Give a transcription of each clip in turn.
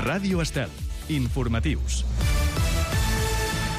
Ràdio Estel. Informatius.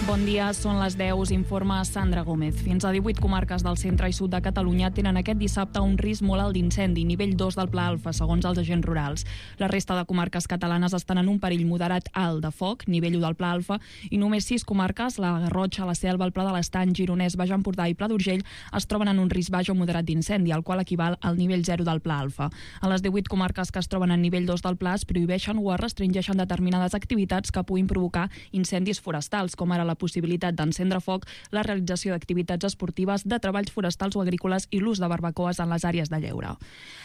Bon dia, són les 10, us informa Sandra Gómez. Fins a 18 comarques del centre i sud de Catalunya tenen aquest dissabte un risc molt alt d'incendi, nivell 2 del Pla Alfa, segons els agents rurals. La resta de comarques catalanes estan en un perill moderat alt de foc, nivell 1 del Pla Alfa, i només 6 comarques, la Garrotxa, la Selva, el Pla de l'Estany, Gironès, Baix Empordà i Pla d'Urgell, es troben en un risc baix o moderat d'incendi, el qual equival al nivell 0 del Pla Alfa. A les 18 comarques que es troben en nivell 2 del Pla es prohibeixen o es restringeixen determinades activitats que puguin provocar incendis forestals, com ara la possibilitat d'encendre foc, la realització d'activitats esportives, de treballs forestals o agrícoles i l'ús de barbacoes en les àrees de lleure.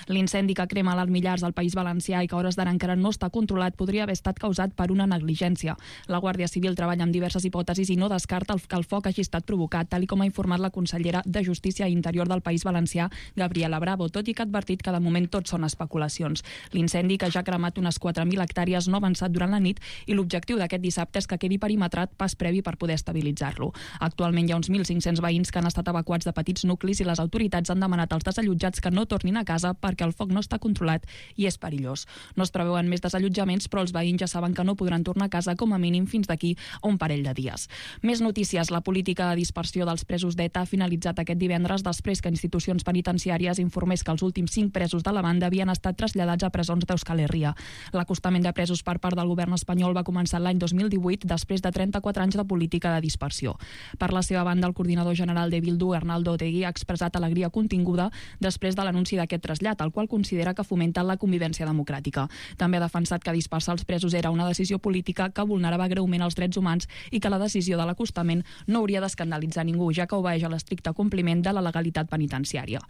L'incendi que crema l'Alt Millars al País Valencià i que a hores d'ara encara no està controlat podria haver estat causat per una negligència. La Guàrdia Civil treballa amb diverses hipòtesis i no descarta que el foc hagi estat provocat, tal com ha informat la consellera de Justícia i Interior del País Valencià, Gabriela Bravo, tot i que ha advertit que de moment tot són especulacions. L'incendi, que ja ha cremat unes 4.000 hectàrees, no ha avançat durant la nit i l'objectiu d'aquest dissabte és que quedi perimetrat pas previ per poder estabilitzar-lo. Actualment hi ha uns 1.500 veïns que han estat evacuats de petits nuclis i les autoritats han demanat als desallotjats que no tornin a casa perquè el foc no està controlat i és perillós. No es preveuen més desallotjaments, però els veïns ja saben que no podran tornar a casa com a mínim fins d'aquí a un parell de dies. Més notícies. La política de dispersió dels presos d'ETA ha finalitzat aquest divendres després que institucions penitenciàries informés que els últims 5 presos de la banda havien estat traslladats a presons d'Euskal Herria. L'acostament de presos per part del govern espanyol va començar l'any 2018 després de 34 anys de política de dispersió. Per la seva banda, el coordinador general de Bildu, Arnaldo Otegi, ha expressat alegria continguda després de l'anunci d'aquest trasllat, el qual considera que fomenta la convivència democràtica. També ha defensat que dispersar els presos era una decisió política que vulnerava greument els drets humans i que la decisió de l'acostament no hauria d'escandalitzar ningú, ja que obeeix a l'estricte compliment de la legalitat penitenciària.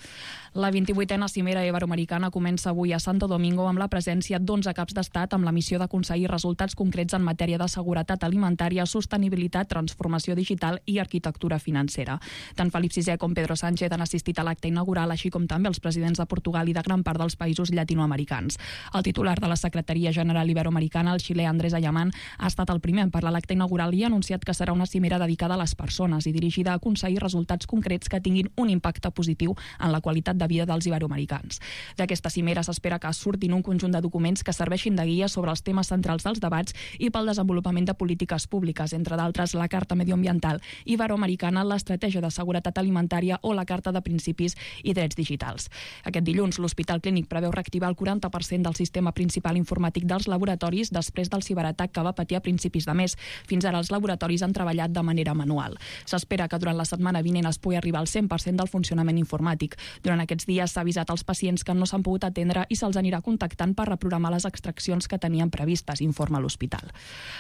La 28a Cimera Iberoamericana comença avui a Santo Domingo amb la presència d'11 caps d'estat amb la missió d'aconseguir resultats concrets en matèria de seguretat alimentària, sostenibilitat, transformació digital i arquitectura financera. Tant Felip VI com Pedro Sánchez han assistit a l'acte inaugural, així com també els presidents de Portugal i de gran part dels països llatinoamericans. El titular de la Secretaria General Iberoamericana, el xilè Andrés Ayamán, ha estat el primer en parlar a l'acte inaugural i ha anunciat que serà una cimera dedicada a les persones i dirigida a aconseguir resultats concrets que tinguin un impacte positiu en la qualitat de vida dels iberoamericans. D'aquesta cimera s'espera que surtin un conjunt de documents que serveixin de guia sobre els temes centrals dels debats i pel desenvolupament de polítiques públiques, entre d'altres la Carta Medioambiental Iberoamericana, l'Estratègia de Seguretat Alimentària o la Carta de Principis i Drets Digitals. Aquest dilluns, l'Hospital Clínic preveu reactivar el 40% del sistema principal informàtic dels laboratoris després del ciberatac que va patir a principis de mes. Fins ara els laboratoris han treballat de manera manual. S'espera que durant la setmana vinent es pugui arribar al 100% del funcionament informàtic. Durant aquests dies s'ha avisat als pacients que no s'han pogut atendre i se'ls anirà contactant per reprogramar les extraccions que tenien previstes, informa l'hospital.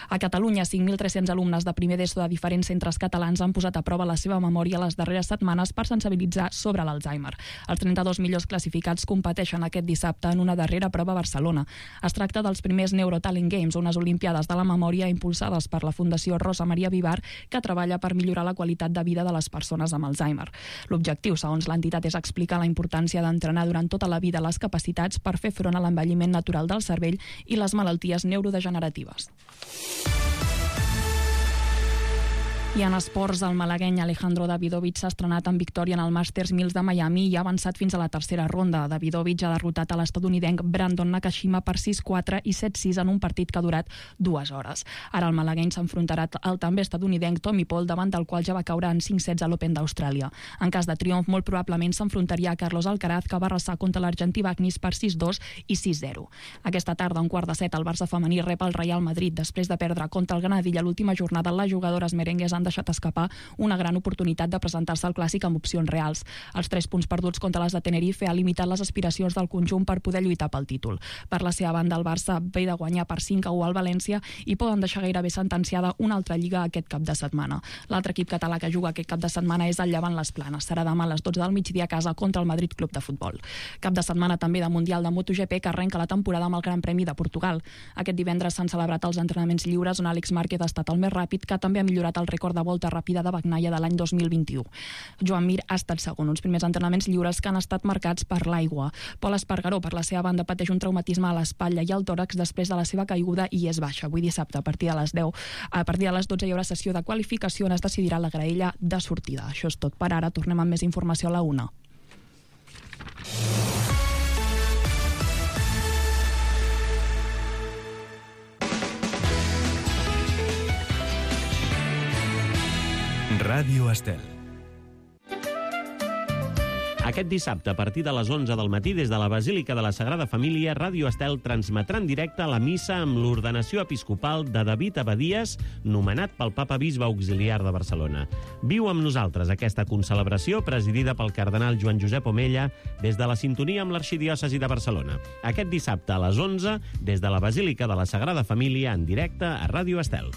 A Catalunya, 5.300 alumnes de primer d'ESO de diferents centres catalans han posat a prova la seva memòria les darreres setmanes per sensibilitzar sobre l'Alzheimer. Els 32 millors classificats competeixen aquest dissabte en una darrera prova a Barcelona. Es tracta dels primers Neurotalent Games, unes olimpiades de la memòria impulsades per la Fundació Rosa Maria Vivar, que treballa per millorar la qualitat de vida de les persones amb Alzheimer. L'objectiu, segons l'entitat, és explicar la importància d'entrenar durant tota la vida les capacitats per fer front a l'envelliment natural del cervell i les malalties neurodegeneratives. I en esports, el malagueny Alejandro Davidovich s'ha estrenat en victòria en el Masters 1000 de Miami i ha avançat fins a la tercera ronda. Davidovich ha derrotat a l'estadounidenc Brandon Nakashima per 6-4 i 7-6 en un partit que ha durat 2 hores. Ara el malagueny s'enfrontarà al també estadounidenc Tommy Paul, davant del qual ja va caure en 5 sets a l'Open d'Austràlia. En cas de triomf, molt probablement s'enfrontaria a Carlos Alcaraz, que va arrasar contra l'argentí Bagnis per 6-2 i 6-0. Aquesta tarda, a un quart de set, el Barça femení rep el Real Madrid. Després de perdre contra el Granadilla l'última jornada, les jugadores merengues han deixat escapar una gran oportunitat de presentar-se al Clàssic amb opcions reals. Els 3 punts perduts contra les de Tenerife ha limitat les aspiracions del conjunt per poder lluitar pel títol. Per la seva banda, el Barça ve de guanyar per 5-1 al València i poden deixar gairebé sentenciada una altra lliga aquest cap de setmana. L'altre equip català que juga aquest cap de setmana és el Llevant Les Planes. Serà demà a les 12 del migdia a casa contra el Madrid Club de Futbol. Cap de setmana també de Mundial de MotoGP, que arrenca la temporada amb el Gran Premi de Portugal. Aquest divendres s'han celebrat els entrenaments lliures on Àlex Márquez ha estat el més ràpid, que també ha millorat el rècord de volta ràpida de Bagnaia de l'any 2021. Joan Mir ha estat segon, uns primers entrenaments lliures que han estat marcats per l'aigua. Pol Espargaró, per la seva banda, pateix un traumatisme a l'espatlla i al tòrax després de la seva caiguda i és baixa. Avui dissabte, a partir de les 12 hi haurà sessió de qualificació on es decidirà la graella de sortida. Això és tot per ara. Tornem amb més informació a la 1. Ràdio Estel. Aquest dissabte, a partir de les 11 del matí, des de la Basílica de la Sagrada Família, Ràdio Estel transmetrà en directe la missa amb l'ordenació episcopal de David Abadies, nomenat pel Papa Bisbe Auxiliar de Barcelona. Viu amb nosaltres aquesta concelebració presidida pel cardenal Joan Josep Omella des de la sintonia amb l'Arxidiòcesi de Barcelona. Aquest dissabte a les 11, des de la Basílica de la Sagrada Família, en directe a Ràdio Estel.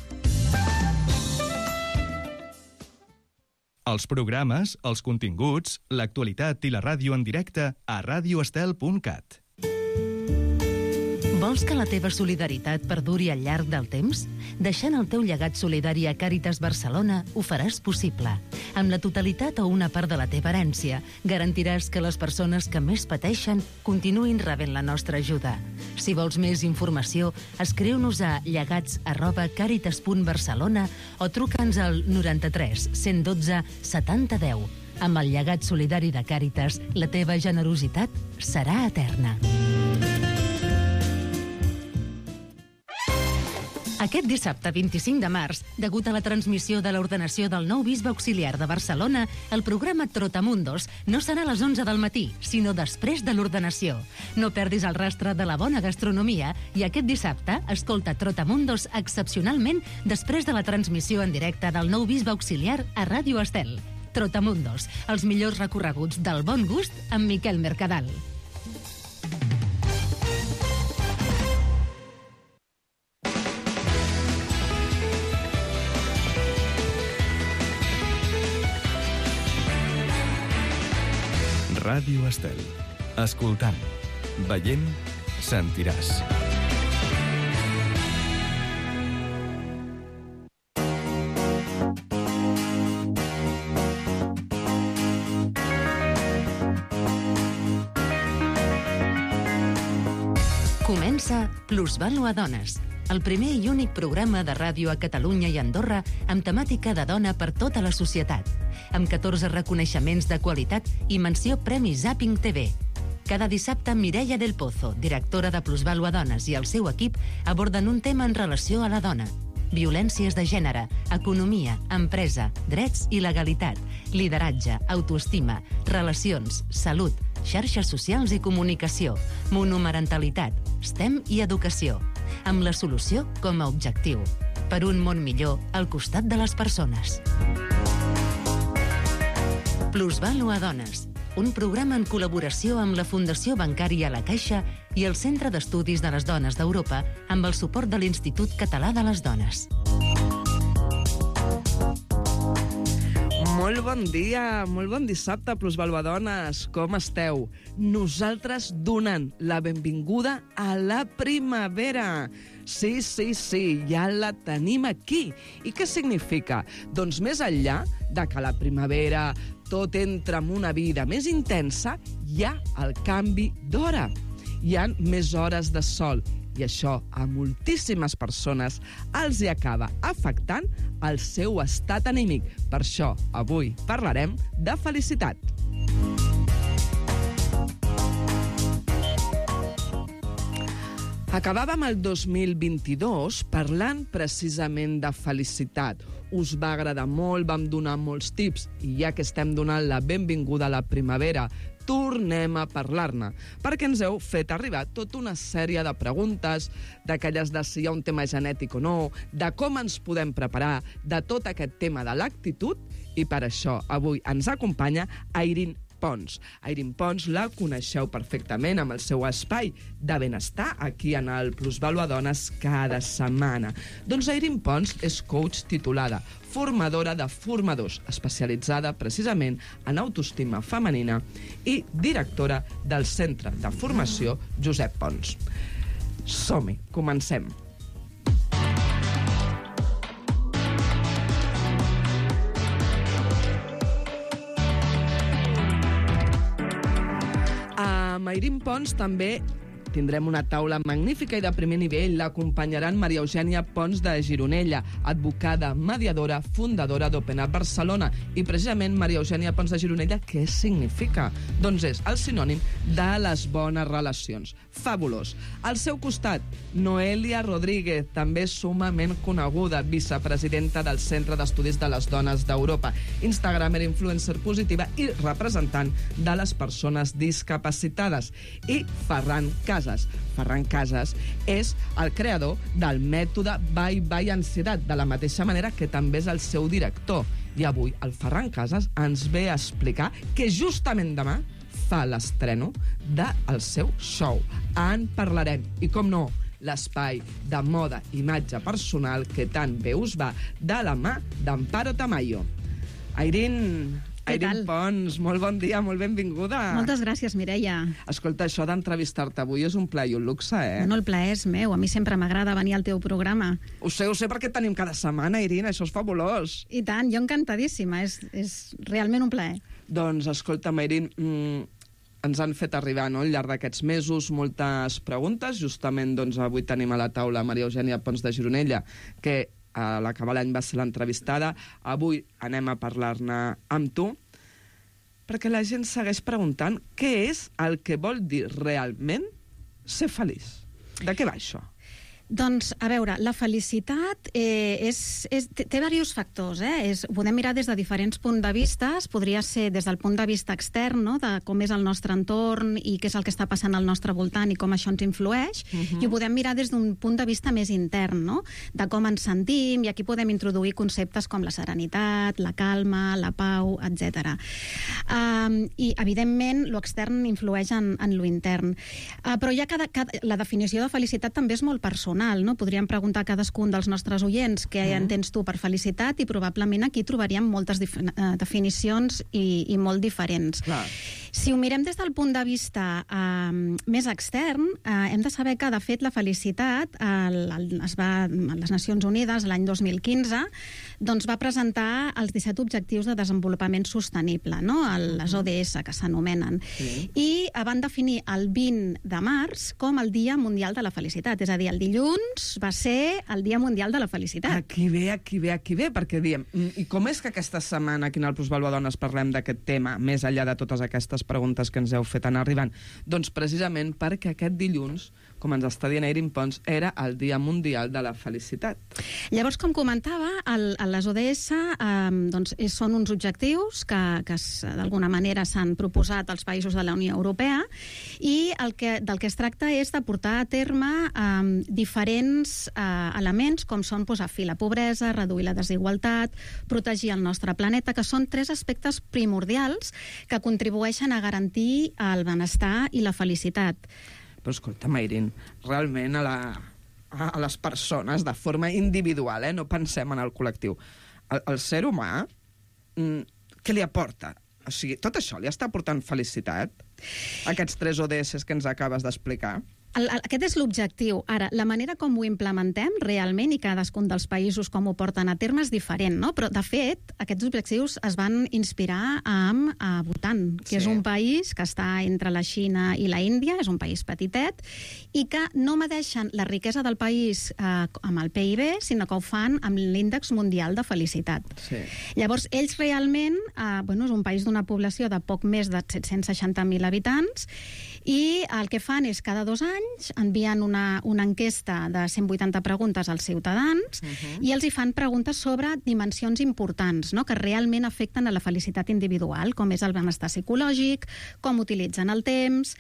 Els programes, els continguts, l'actualitat i la ràdio en directe a radioestel.cat. Vols que la teva solidaritat perduri al llarg del temps? Deixant el teu llegat solidari a Càritas Barcelona ho faràs possible. Amb la totalitat o una part de la teva herència, garantiràs que les persones que més pateixen continuïn rebent la nostra ajuda. Si vols més informació, escriu-nos a llegats@caritas.barcelona o truca'ns al 93 112 70 10. Amb el llegat solidari de Càritas, la teva generositat serà eterna. Aquest dissabte 25 de març, degut a la transmissió de l'ordenació del nou bisbe auxiliar de Barcelona, el programa Trotamundos no serà a les 11 del matí, sinó després de l'ordenació. No perdis el rastre de la bona gastronomia i aquest dissabte escolta Trotamundos excepcionalment després de la transmissió en directe del nou bisbe auxiliar a Ràdio Estel. Trotamundos, els millors recorreguts del bon gust amb Miquel Mercadal. Ràdio Estel. Escoltant, veient, sentiràs. Comença Plusvàlua Dones, el primer i únic programa de ràdio a Catalunya i Andorra amb temàtica de dona per tota la societat, amb 14 reconeixements de qualitat i menció Premi Zapping TV. Cada dissabte, Mireia del Pozo, directora de Plusvàlua Dones, i el seu equip aborden un tema en relació a la dona. Violències de gènere, economia, empresa, drets i legalitat, lideratge, autoestima, relacions, salut, xarxes socials i comunicació, monomarentalitat, STEM i educació, amb la solució com a objectiu. Per un món millor al costat de les persones. Plusvàlua Dones, un programa en col·laboració amb la Fundació Bancària La Caixa i el Centre d'Estudis de les Dones d'Europa amb el suport de l'Institut Català de les Dones. Molt bon dia, molt bon dissabte, Plusvàlua Dones. Com esteu? Nosaltres donant la benvinguda a la primavera. Sí, ja la tenim aquí. I què significa? Doncs més enllà de que la primavera tot entra en una vida més intensa, hi ha el canvi d'hora. Hi ha més hores de sol i això a moltíssimes persones els hi acaba afectant el seu estat anímic. Per això avui parlarem de felicitat. Acabàvem el 2022 parlant precisament de felicitat. Us va agradar molt, vam donar molts tips i ja que estem donant la benvinguda a la primavera, tornem a parlar-ne, perquè ens heu fet arribar tota una sèrie de preguntes, d'aquelles de si hi ha un tema genètic o no, de com ens podem preparar, de tot aquest tema de l'actitud, i per això avui ens acompanya Airín Pons. Airín Pons la coneixeu perfectament amb el seu espai de benestar aquí en el Plusvàlua Dones cada setmana. Doncs Airín Pons és coach titulada, formadora de formadors, especialitzada precisament en autoestima femenina i directora del Centre de Formació Josep Pons. Som-hi, comencem. Airín Pons també Tindrem una taula magnífica i de primer nivell. L'acompanyaran Maria Eugènia Pons de Gironella, advocada, mediadora, fundadora d'Open Up Barcelona. I precisament Maria Eugènia Pons de Gironella, què significa? Doncs és el sinònim de les bones relacions. Fabulós. Al seu costat, Noelia Rodríguez, també sumament coneguda, vicepresidenta del Centre d'Estudis de les Dones d'Europa, instagramer, influencer positiva i representant de les persones discapacitades. I Ferran Casas. Ferran Casas és el creador del mètode Bye Bye Ansietat, de la mateixa manera que també és el seu director. I avui el Ferran Casas ens ve a explicar que justament demà fa l'estreno del seu show. En parlarem. I com no, l'espai de moda, imatge personal que tan bé us va, de la mà d'Amparo Tamayo. Airín Pons, molt bon dia, molt benvinguda. Moltes gràcies, Mireia. Escolta, això d'entrevistar-te avui és un plaer i un luxe, eh? No, el plaer és meu. A mi sempre m'agrada venir al teu programa. Ho sé, perquè et tenim cada setmana, Airín, això és fabulós. I tant, jo encantadíssima. És realment un plaer. Doncs, escolta'm, Airín, ens han fet arribar, no?, al llarg d'aquests mesos moltes preguntes. Justament, doncs, avui tenim a la taula Maria Eugènia Pons de Gironella, que a l'acabar l'any va ser l'entrevistada. Avui anem a parlar-ne amb tu, perquè la gent segueix preguntant què és el que vol dir realment ser feliç. De què va això? Doncs, a veure, la felicitat té diversos factors. Ho podem mirar des de diferents punts de vista. Podria ser des del punt de vista extern, no?, de com és el nostre entorn i què és el que està passant al nostre voltant i com això ens influeix. I ho podem mirar des d'un punt de vista més intern, no?, de com ens sentim, i aquí podem introduir conceptes com la serenitat, la calma, la pau, etc. I, evidentment, l'extern influeix en l'intern. Però ja la definició de felicitat també és molt personal. No? Podríem preguntar a cadascun dels nostres oients què entens tu per felicitat, i probablement aquí trobaríem moltes definicions i molt diferents. Clar. Si ho mirem des del punt de vista més extern, hem de saber que, de fet, la felicitat les Nacions Unides l'any 2015 doncs va presentar els 17 Objectius de Desenvolupament Sostenible, no?, les ODS, que s'anomenen. I van definir el 20 de març com el Dia Mundial de la Felicitat. És a dir, el dilluns va ser el Dia Mundial de la Felicitat. Aquí ve, perquè diem, i com és que aquesta setmana aquí en el Plusvàlua Dones parlem d'aquest tema, més enllà de totes aquestes preguntes que ens heu fet anar arribant? Doncs precisament perquè aquest dilluns, com ens està dient Airín Pons, era el Dia Mundial de la Felicitat. Llavors, com comentava, les ODS són uns objectius que d'alguna manera s'han proposat als països de la Unió Europea, i del que es tracta és de portar a terme diferents elements, com són posar fi a la pobresa, reduir la desigualtat, protegir el nostre planeta, que són 3 aspectes primordials que contribueixen a garantir el benestar i la felicitat. Però escolta, Airín, realment a les persones, de forma individual, no pensem en el col·lectiu, el ser humà, què li aporta? O sigui, tot això li està aportant felicitat? Aquests 3 ODS que ens acabes d'explicar? Aquest és l'objectiu. Ara, la manera com ho implementem realment, i cadascun dels països com ho porten a terme, és diferent, no? Però, de fet, aquests objectius es van inspirar amb Bhutan, que és un país que està entre la Xina i la Índia, és un país petitet, i que no medeixen la riquesa del país amb el PIB, sinó que ho fan amb l'índex mundial de felicitat. Llavors, ells realment, és un país d'una població de poc més de 760.000 habitants, i el que fan és cada 2 anys envien una enquesta de 180 preguntes als ciutadans i els hi fan preguntes sobre dimensions importants, no?, que realment afecten a la felicitat individual, com és el benestar psicològic, com utilitzen el temps,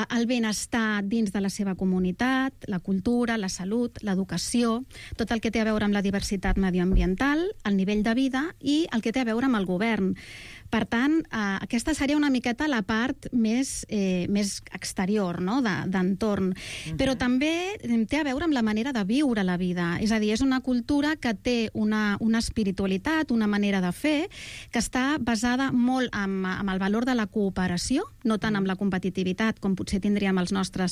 el benestar dins de la seva comunitat, la cultura, la salut, l'educació, tot el que té a veure amb la diversitat medioambiental, el nivell de vida i el que té a veure amb el govern. Per tant, aquesta seria una miqueta la part més exterior, no?, d'entorn. Però també té a veure amb la manera de viure la vida. És a dir, és una cultura que té una espiritualitat, una manera de fer, que està basada molt amb el valor de la cooperació, no tant amb la competitivitat, com potser tindríem el nostre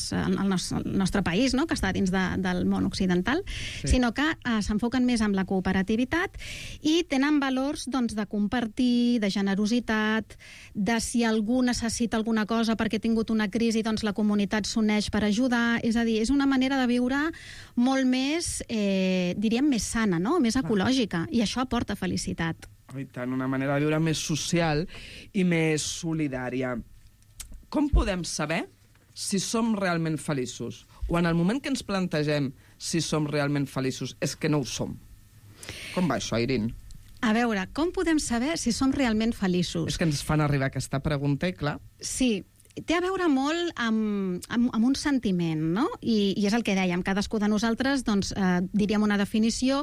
país, no?, que està dins del món occidental, sinó que s'enfoquen més amb la cooperativitat i tenen valors de compartir, de generositat, generositat, de si algú necessita alguna cosa perquè ha tingut una crisi, doncs la comunitat s'uneix per ajudar. És a dir, és una manera de viure molt més, diríem, més sana, no? Més ecològica, i això aporta felicitat. I tant, una manera de viure més social i més solidària. Com podem saber si som realment feliços? O en el moment que ens plantegem si som realment feliços és que no ho som? Com va això, Irene? A veure, com podem saber si som realment feliços? És que ens fan arribar aquesta pregunta i, clar... Sí, té a veure molt amb un sentiment, no? I és el que dèiem, cadascú de nosaltres, doncs, diríem una definició.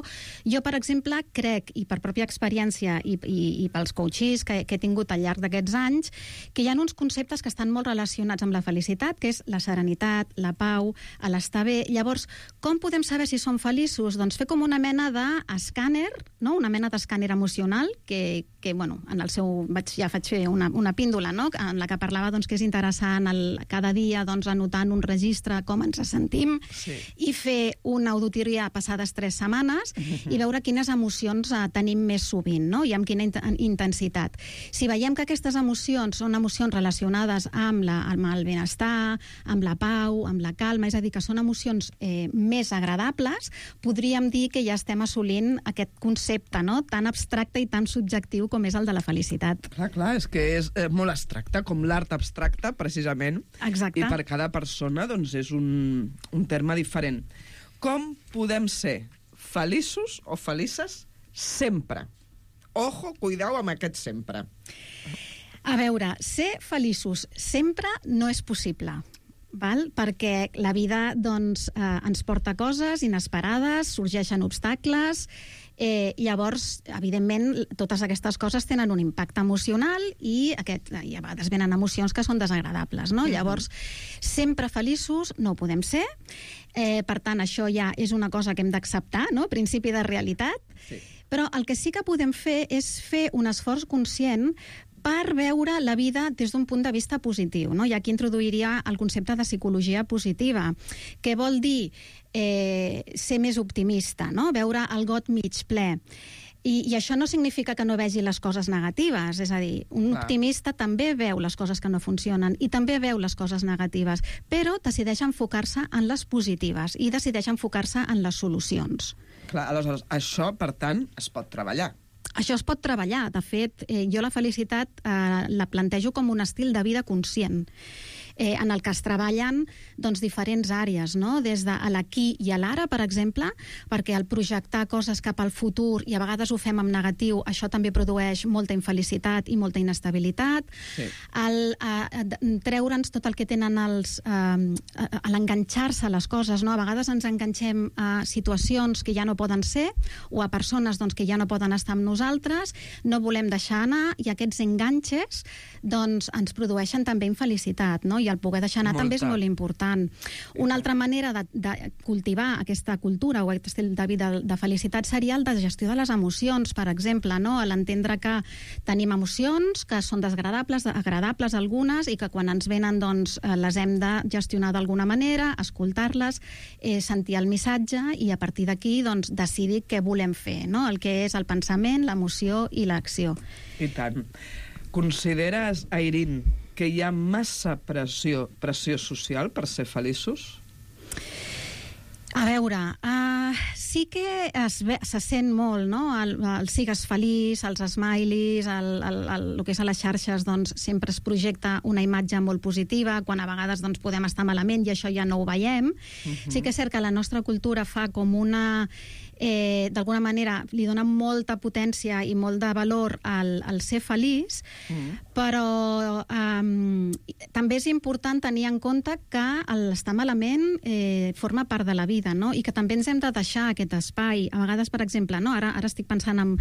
Jo, per exemple, crec, i per pròpia experiència i pels coaches que he tingut al llarg d'aquests anys, que hi ha uns conceptes que estan molt relacionats amb la felicitat, que és la serenitat, la pau, l'estar bé. Llavors, com podem saber si som feliços? Doncs fer com una mena d'escàner, no? Una mena d'escàner emocional, que bueno, en el seu... ja vaig fer una píndola, no? En la que parlava doncs, que és interessant cada dia doncs, anotar en un registre com ens sentim, sí, i fer una auditoria passades 3 setmanes i veure quines emocions tenim més sovint, no? I amb quina intensitat. Si veiem que aquestes emocions són emocions relacionades amb el benestar, amb la pau, amb la calma, és a dir, que són emocions més agradables, podríem dir que ja estem assolint aquest concepte, no? Tan abstracte i tan subjectiu com és el de la felicitat. Clar, és que és molt abstracte, com l'art abstracte, precisament. Exacte. I per cada persona doncs, és un terme diferent. Com podem ser feliços o felices sempre? Ojo, cuidao amb aquest sempre. A veure, ser feliços sempre no és possible. Val? Perquè la vida doncs, ens porta coses inesperades, sorgeixen obstacles, llavors, evidentment, totes aquestes coses tenen un impacte emocional i a vegades venen emocions que són desagradables, no? Llavors, sempre feliços no ho podem ser, per tant, això ja és una cosa que hem d'acceptar, no? Principi de realitat, sí. Però el que sí que podem fer és fer un esforç conscient per veure la vida des d'un punt de vista positiu, no? I aquí introduiria el concepte de psicologia positiva, que vol dir ser més optimista, no? Veure el got mig ple. I això no significa que no vegi les coses negatives, és a dir, un optimista també veu les coses que no funcionen i també veu les coses negatives, però decideix enfocar-se en les positives i decideix enfocar-se en les solucions. Clar, aleshores, això, per tant, es pot treballar. Això es pot treballar. De fet, jo la felicitat la plantejo com un estil de vida conscient, en el que es treballen doncs, diferents àrees, no? Des de l'aquí i a l'ara, per exemple, perquè al projectar coses cap al futur, i a vegades ho fem en negatiu, això també produeix molta infelicitat i molta inestabilitat. Sí. Treure'ns tot el que tenen l'enganxar-se a les coses, no? A vegades ens enganxem a situacions que ja no poden ser o a persones doncs, que ja no poden estar amb nosaltres, no volem deixar anar, i aquests enganxes doncs, ens produeixen també infelicitat, no? I el poder deixar anar també és molt important. Una altra manera de cultivar aquesta cultura o aquest estil de vida de felicitat seria el de gestió de les emocions, per exemple, no? L'entendre que tenim emocions que són desagradables, agradables algunes, i que quan ens venen doncs, les hem de gestionar d'alguna manera, escoltar-les, sentir el missatge i a partir d'aquí doncs, decidir què volem fer, no? El que és el pensament, l'emoció i l'acció. I tant. Consideres, Irene, que hi ha massa pressió social per ser feliços? A veure, sí que se sent molt, no? El sigues feliç, els smileys, el que és a les xarxes, doncs, sempre es projecta una imatge molt positiva, quan a vegades doncs, podem estar malament i això ja no ho veiem. Sí que és cert que la nostra cultura fa com una... d'alguna manera li dona molta potència i molt de valor al ser feliç, però també és important tenir en compte que l'estar malament forma part de la vida, no? I que també ens hem de deixar aquest espai. A vegades, per exemple, no? Ara estic pensant en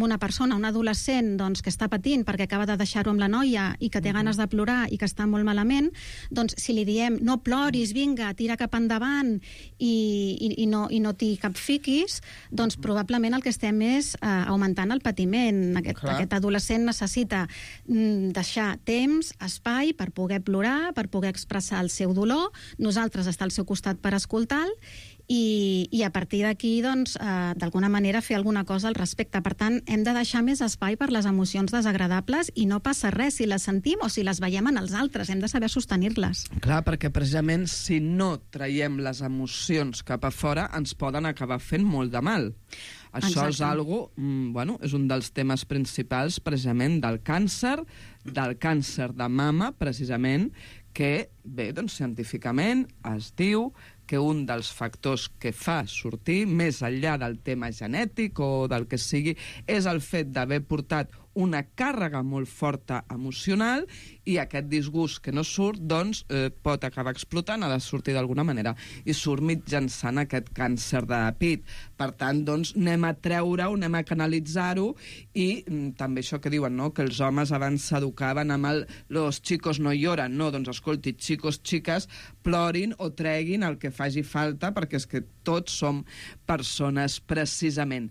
una persona, un adolescent doncs, que està patint perquè acaba de deixar-ho amb la noia i que té ganes de plorar i que està molt malament, doncs si li diem no ploris, vinga, tira cap endavant i no t'hi capfiquis, doncs probablement el que estem és augmentant el patiment. Aquest adolescent necessita deixar temps, espai per poder plorar, per poder expressar el seu dolor, nosaltres estar al seu costat per escoltar-lo, i a partir d'aquí, doncs, d'alguna manera fer alguna cosa al respecte. Per tant, hem de deixar més espai per les emocions desagradables i no passa res si les sentim o si les veiem en els altres. Hem de saber sostenir-les. Clar, perquè precisament si no traiem les emocions cap a fora ens poden acabar fent molt de mal. Això és algo, és un dels temes principals precisament del càncer de mama, precisament, que, bé, doncs científicament es diu que un dels factors que fa sortir, més enllà del tema genètic o del que sigui, és el fet d'haver portat una càrrega molt forta emocional i aquest disgust que no surt, doncs, pot acabar explotant, ha de sortir d'alguna manera, i surt mitjançant aquest càncer de pit. Per tant, doncs, anem a treure-ho, anem a canalitzar-ho, i també això que diuen, no?, que els homes abans s'educaven amb el «los chicos no lloran», no, doncs, escolti, chicos, xiques, plorin o treguin el que faci falta, perquè és que tots som persones, precisament.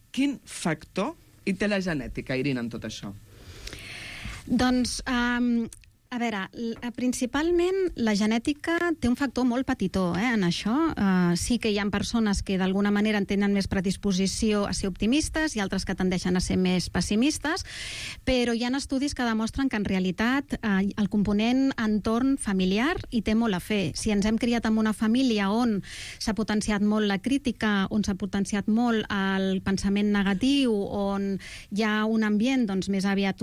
Quin factor hi té la genètica, Irina, en tot això? Doncs, a veure, principalment la genètica té un factor molt petitó en això. Sí que hi ha persones que d'alguna manera tenen més predisposició a ser optimistes i altres que tendeixen a ser més pessimistes, però hi ha estudis que demostren que en realitat el component entorn familiar hi té molt a fer. Si ens hem criat en una família on s'ha potenciat molt la crítica, on s'ha potenciat molt el pensament negatiu, on hi ha un ambient doncs, més aviat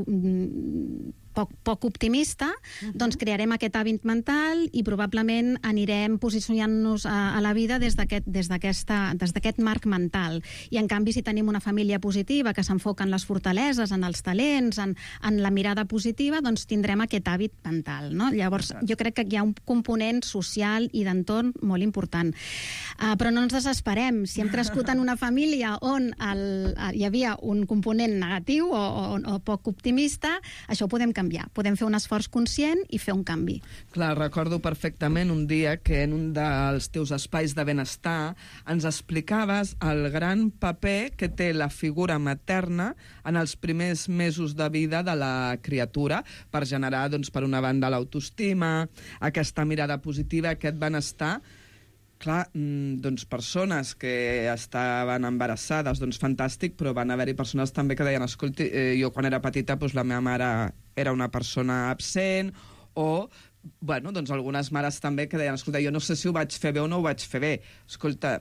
poc optimista, doncs crearem aquest hàbit mental i probablement anirem posicionant-nos a la vida des d'aquest marc mental. I en canvi, si tenim una família positiva que s'enfoca en les fortaleses, en els talents, en la mirada positiva, doncs tindrem aquest hàbit mental, no? Llavors, jo crec que hi ha un component social i d'entorn molt important. Però no ens desesperem. Si hem crescut en una família on hi havia un component negatiu o poc optimista, això ho podem canviar. Podem fer un esforç conscient i fer un canvi. Clar, recordo perfectament un dia que en un dels teus espais de benestar ens explicaves el gran paper que té la figura materna en els primers mesos de vida de la criatura per generar, doncs, per una banda, l'autoestima, aquesta mirada positiva, aquest benestar. Clar, doncs persones que estaven embarassades, doncs fantàstic, però van haver-hi persones també que deien, escolti, jo quan era petita doncs la meva mare era una persona absent, o, bueno, doncs algunes mares també que deien, escolta, jo no sé si ho vaig fer bé o no ho vaig fer bé. Escolta,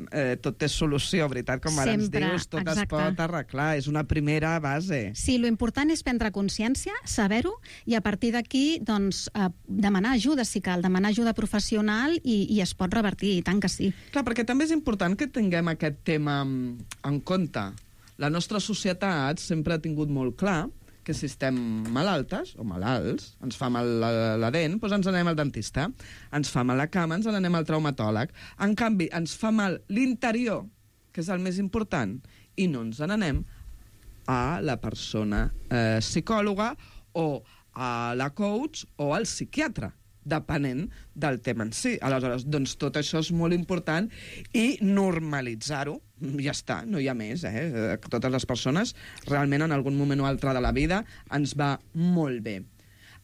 tot té solució, veritat? Com ara ens dius, tot es pot arreglar, és una primera base. Sí, l'important és prendre consciència, saber-ho, i a partir d'aquí, doncs, demanar ajuda, si cal, demanar ajuda professional i es pot revertir, i tant que sí. Clar, perquè també és important que tinguem aquest tema en compte. La nostra societat sempre ha tingut molt clar que si estem malaltes o malalts, ens fa mal la dent, doncs ens anem al dentista. Ens fa mal la cama, ens n'anem al traumatòleg. En canvi, ens fa mal l'interior, que és el més important, i no ens n'anem a la persona psicòloga o a la coach o al psiquiatre, depenent del tema en si. Aleshores, doncs tot això és molt important i normalitzar-ho, ja està, no hi ha més, Totes les persones, realment en algun moment o altre de la vida, ens va molt bé.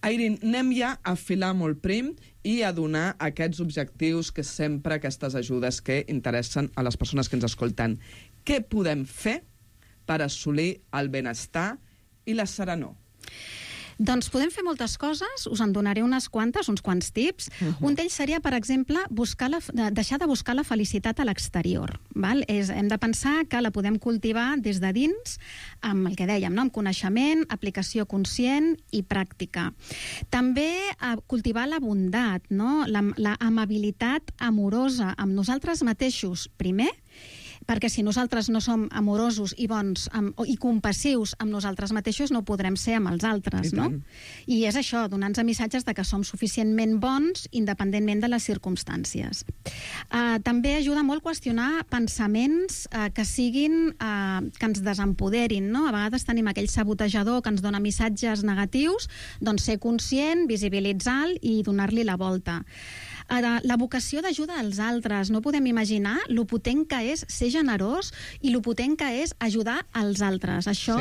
Airin, anem ja a filar molt prim i a donar aquests objectius que sempre, aquestes ajudes que interessen a les persones que ens escolten. Què podem fer per assolir el benestar i la serenor? Doncs podem fer moltes coses, us en donaré unes quantes, uns quants tips. Un d'ells seria, per exemple, deixar de buscar la felicitat a l'exterior. Hem de pensar que la podem cultivar des de dins, amb el que dèiem, amb coneixement, aplicació conscient i pràctica. També cultivar la bondat, la amabilitat amorosa amb nosaltres mateixos, primer, perquè si nosaltres no som amorosos i bons i compassius amb nosaltres mateixos, no podrem ser amb els altres, no? I és això, donar-nos missatges de que som suficientment bons independentment de les circumstàncies. També ajuda molt qüestionar pensaments que ens desempoderin, no? A vegades tenim aquell sabotejador que ens dona missatges negatius, doncs ser conscient, visibilitzar-lo i donar-li la volta. La vocació d'ajuda als altres. No podem imaginar lo potent que és ser generós i lo potent que és ajudar als altres. Això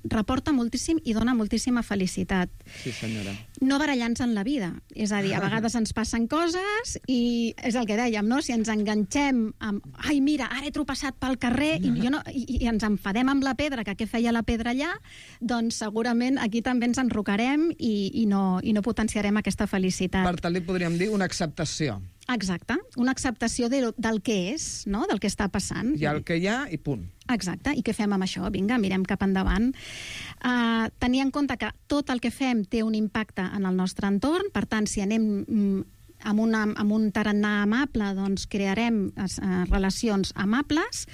reporta moltíssim i dona moltíssima felicitat. Sí, senyora. no barallar-nos en la vida. És a dir, a vegades ens passen coses i és el que dèiem, no? Si ens enganxem amb ai, mira, ara he tropeçat pel carrer i ens enfadem amb la pedra, que què feia la pedra allà, doncs segurament aquí també ens enrocarem i no potenciarem aquesta felicitat. Per tant, li podríem dir una acceptació. Exacte, una acceptació del que és, no? Del que està passant. Hi ha el que hi ha i punt. Exacte, i què fem amb això? Vinga, mirem cap endavant. Tenir en compte que tot el que fem té un impacte en el nostre entorn, per tant, si anem amb un tarannà amable, doncs crearem relacions amables,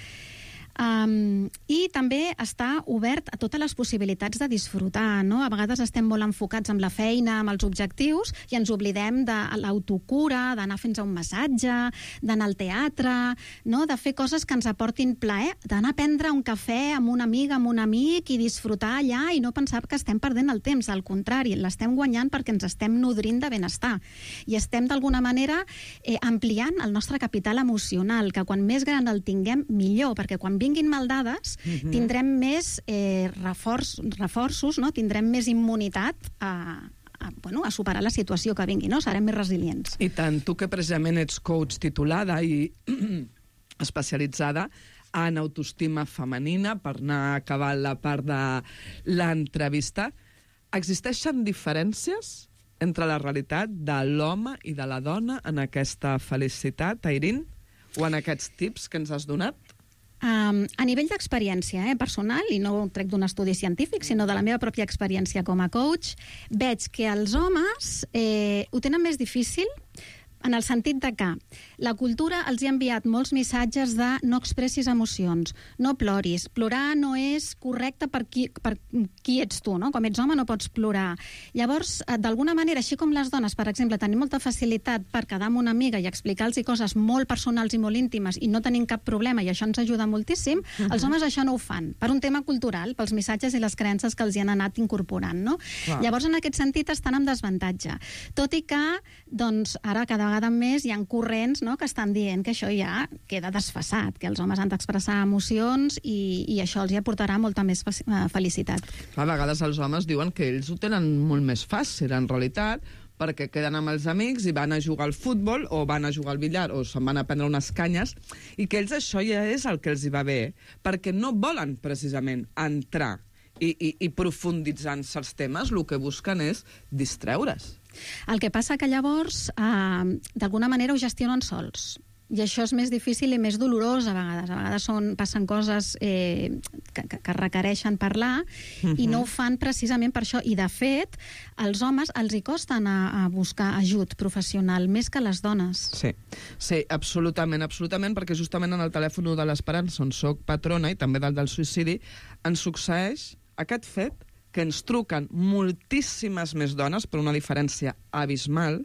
i també està obert a totes les possibilitats de disfrutar, no? A vegades estem molt enfocats amb la feina, amb els objectius, i ens oblidem de l'autocura, d'anar a fer-nos un massatge, d'anar al teatre, no? De fer coses que ens aportin plaer, d'anar a prendre un cafè amb una amiga, amb un amic, i disfrutar allà i no pensar que estem perdent el temps. Al contrari, l'estem guanyant perquè ens estem nodrint de benestar. I estem, d'alguna manera, ampliant el nostre capital emocional, que quan més gran el tinguem, millor, perquè quan vinguin maldades, tindrem més reforços, no? Tindrem més immunitat a superar la situació que vingui, no? Serem més resilients. I tant, tu que precisament ets coach titulada i especialitzada en autoestima femenina, per anar acabant la part de l'entrevista, existeixen diferències entre la realitat de l'home i de la dona en aquesta felicitat, Airín? O en aquests tips que ens has donat? A nivell d'experiència personal, i no ho trec d'un estudi científic, sinó de la meva pròpia experiència com a coach, veig que els homes ho tenen més difícil en el sentit de que la cultura els ha enviat molts missatges de no expressis emocions, no ploris, plorar no és correcte per qui ets tu, no? Com ets home no pots plorar. Llavors, d'alguna manera, així com les dones, per exemple, tenim molta facilitat per quedar amb una amiga i explicar-los coses molt personals i molt íntimes i no tenim cap problema, i això ens ajuda moltíssim, els homes això no ho fan, per un tema cultural, pels missatges i les creences que els hi han anat incorporant, no? Llavors, en aquest sentit, estan en desavantatge. Tot i que, doncs, ara cada vegada més hi ha corrents, no?, que estan dient que això ja queda desfasat, que els homes han d'expressar emocions i això els hi aportarà molta més felicitat. A vegades els homes diuen que ells ho tenen molt més fàcil, en realitat, perquè queden amb els amics i van a jugar al futbol o van a jugar al billar o se'n van a prendre unes canyes, i que ells això ja és el que els hi va bé, perquè no volen precisament entrar i profunditzar en certs temes, el que busquen és distreure's. El que passa que llavors, d'alguna manera, ho gestionen sols. I això és més difícil i més dolorós a vegades. A vegades passen coses que requereixen parlar i no ho fan precisament per això. I, de fet, als homes els hi costen a buscar ajut professional, més que les dones. Sí, absolutament, perquè justament en el telèfon de l'Esperança, on soc patrona, i també del suïcidi, ens succeeix aquest fet que ens truquen moltíssimes més dones, per una diferència abismal,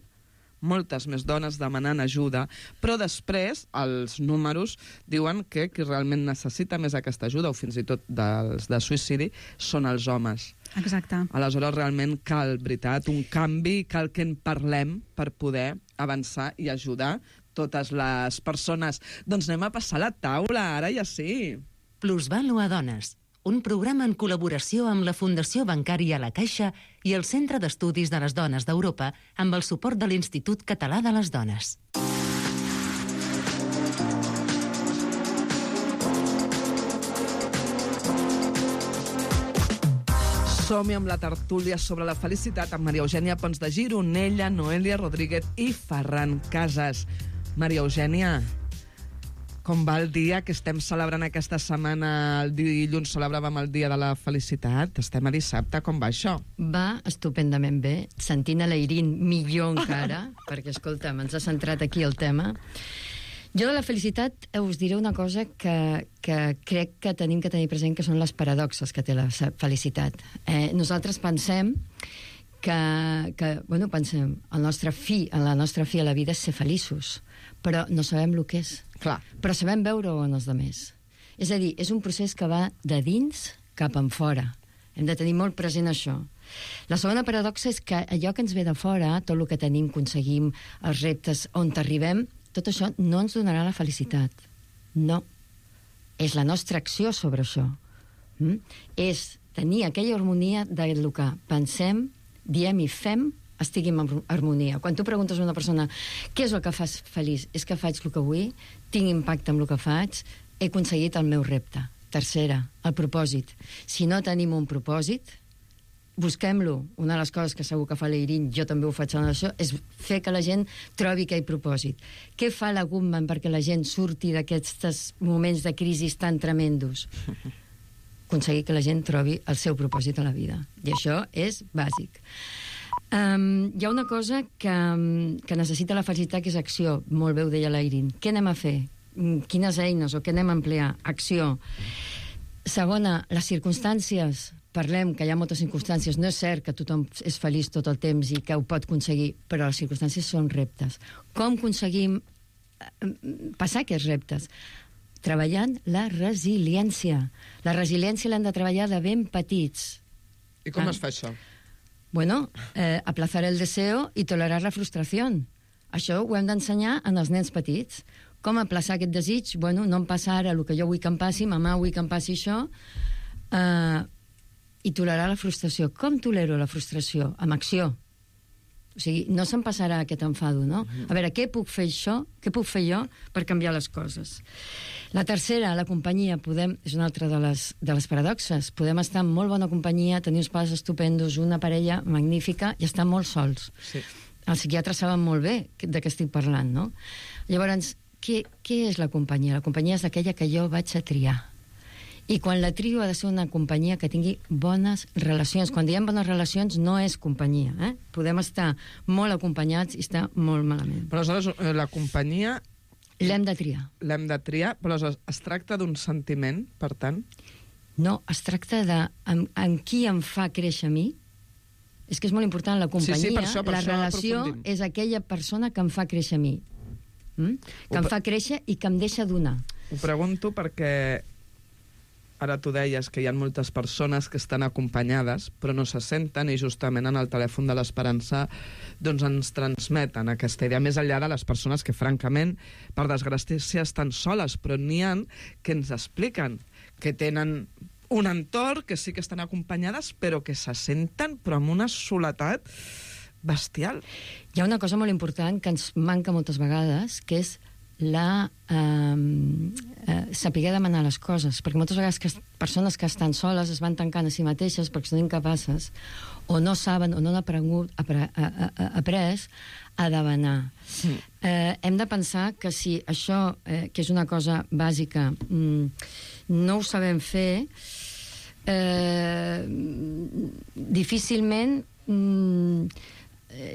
moltes més dones demanant ajuda, però després els números diuen que qui realment necessita més aquesta ajuda, o fins i tot dels de suïcidi, són els homes. Exacte. Aleshores, realment cal, veritat, un canvi, cal que en parlem per poder avançar i ajudar totes les persones. Doncs anem a passar la taula, ara ja sí. Plusvàlua Dones, un programa en col·laboració amb la Fundació Bancària La Caixa i el Centre d'Estudis de les Dones d'Europa amb el suport de l'Institut Català de les Dones. Som-hi amb la tertúlia sobre la felicitat amb Maria Eugènia Pons de Gironella, Noelia Rodríguez i Ferran Casas. Maria Eugènia, com va el dia que estem celebrant aquesta setmana? El dilluns celebràvem el Dia de la Felicitat. Estem a dissabte. Com va això? Va estupendament bé. Sentint a l'Airín millor encara, perquè, escolta'm, ens ha centrat aquí el tema. Jo de la felicitat us diré una cosa que crec que tenim que tenir present, que són les paradoxes que té la felicitat. Nosaltres pensem pensem, la nostra fi a la vida és ser feliços, però no sabem el que és. Clar. Però sabem veure-ho en els altres. És a dir, és un procés que va de dins cap en fora. Hem de tenir molt present això. La segona paradoxa és que allò que ens ve de fora, tot el que tenim, aconseguim, els reptes on t'arribem, tot això no ens donarà la felicitat. No. És la nostra acció sobre això. És tenir aquella harmonia del que pensem, diem i fem estigui en harmonia. Quan tu preguntes a una persona què és el que fas feliç, és que faig el que vull, tinc impacte amb el que faig, he aconseguit el meu repte. Tercera, el propòsit. Si no tenim un propòsit, busquem-lo. Una de les coses que segur que fa l'Eirin, jo també ho faig en això, és fer que la gent trobi aquell propòsit. Què fa la Goodman perquè la gent surti d'aquests moments de crisi tan tremendos? Aconseguir que la gent trobi el seu propòsit a la vida. I això és bàsic. Hi ha una cosa que necessita la felicitat, que és acció. Molt bé ho deia l'Eirin. Què anem a fer? Quines eines o què anem a emplear? Acció. Segona, les circumstàncies. Parlem que hi ha moltes circumstàncies. No és cert que tothom és feliç tot el temps i que ho pot aconseguir, però les circumstàncies són reptes. Com aconseguim passar aquests reptes? Treballant la resiliència. La resiliència l'hem de treballar de ben petits. I com es fa això? Bueno, aplazar el deseo i tolerar la frustració. Això ho hem d'ensenyar en els nens petits. Com aplaçar aquest desig? Bueno, no em passa ara el que jo vull que em passi, mamà vull que em passi això, i tolerar la frustració. Com tolero la frustració? Amb acció. O sigui, no se'm passarà aquest enfado, no? A veure, què puc fer jo per canviar les coses? La tercera, la companyia. És una altra de les paradoxes. Podem estar en molt bona companyia, tenir uns pares estupendos, una parella magnífica, i estar molt sols. Sí. Els psiquiatres saben molt bé de què estic parlant, no? Llavors, què és la companyia? La companyia és aquella que jo vaig a triar. I quan la trio ha de ser una companyia que tingui bones relacions. Quan diem bones relacions no és companyia. Podem estar molt acompanyats i estar molt malament. Però aleshores la companyia... L'hem de triar. L'hem de triar, però es tracta d'un sentiment, per tant? No, es tracta de amb qui em fa créixer a mi. És que és molt important la companyia. Sí, per això la relació és aquella persona que em fa créixer a mi. Que em fa créixer i que em deixa donar. Ho pregunto perquè... Ara tu deies que hi ha moltes persones que estan acompanyades però no se senten, i justament en el telèfon de l'Esperança doncs ens transmeten aquesta idea, més enllà de les persones que francament, per desgràcia, estan soles, però n'hi ha que ens expliquen que tenen un entorn, que sí que estan acompanyades, però que se senten però amb una soledat bestial. Hi ha una cosa molt important que ens manca moltes vegades, que és saber demanar les coses, perquè moltes vegades persones que estan soles es van tancant a si mateixes perquè són incapaces o no saben o no han après a demanar. Hem de pensar que si això, que és una cosa bàsica, no ho sabem fer,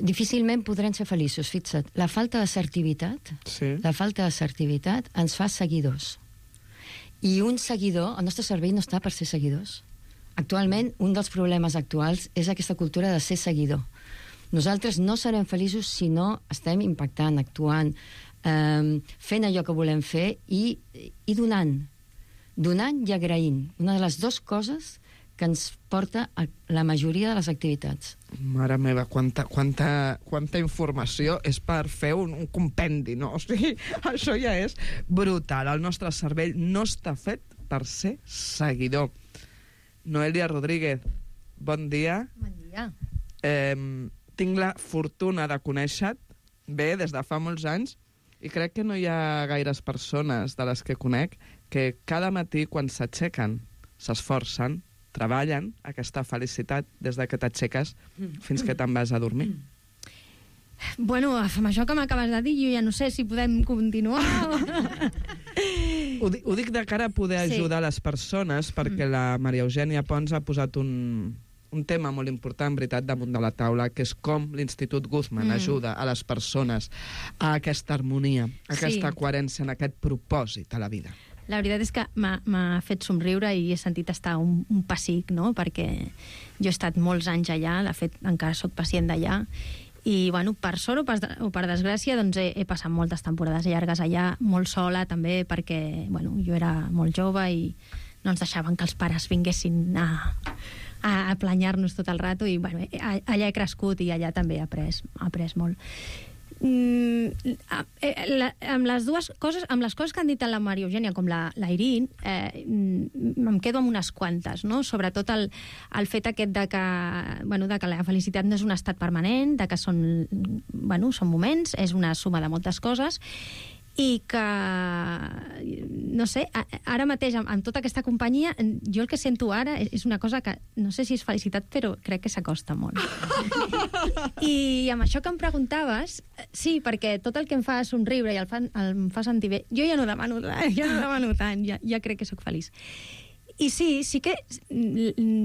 difícilment podrem ser feliços. Fixa't, la falta d'assertivitat, ens fa seguidors. I un seguidor, el nostre cervell no està per ser seguidors. Actualment, un dels problemes actuals és aquesta cultura de ser seguidor. Nosaltres no serem feliços si no estem impactant, actuant, fent allò que volem fer i donant. Donant i agraint. Una de les dues coses que ens porta a la majoria de les activitats. Mare meva, quanta informació és per fer un compendi, no? O sigui, això ja és brutal. El nostre cervell no està fet per ser seguidor. Noelia Rodríguez, bon dia. Bon dia. Tinc la fortuna de conèixer-te bé des de fa molts anys i crec que no hi ha gaires persones de les que conec que cada matí quan s'aixequen s'esforcen, treballen aquesta felicitat des de que t'aixeques fins que te'n vas a dormir. Bueno, amb això que m'acabes de dir, jo ja no sé si podem continuar. Ho dic de cara a poder ajudar les persones, perquè la Maria Eugènia Pons ha posat un tema molt important, veritat, damunt de la taula, que és com l'Institut Goodman ajuda a les persones a aquesta harmonia, a aquesta coherència, en aquest propòsit a la vida. La veritat és que m'ha fet somriure i he sentit estar un pessic, no? Perquè jo he estat molts anys allà, de fet encara sóc pacient d'allà, i bueno, per sort o per desgràcia doncs he passat moltes temporades llargues allà, molt sola també, perquè bueno, jo era molt jove i no ens deixaven que els pares vinguessin a planyar-nos tot el rato, i bueno, allà he crescut i allà també he après molt. Amb les dues coses, amb les coses que han dit la Maria Eugènia com la Irene, em quedo amb unes quantes, no? Sobretot el fet aquest de que la felicitat no és un estat permanent, de que són moments, és una suma de moltes coses, i que, no sé, ara mateix, amb tota aquesta companyia, jo el que sento ara és una cosa que, no sé si és felicitat, però crec que s'acosta molt. I amb això que em preguntaves, sí, perquè tot el que em fa somriure i em fa sentir bé, jo ja no demano tant, ja crec que sóc feliç. I sí que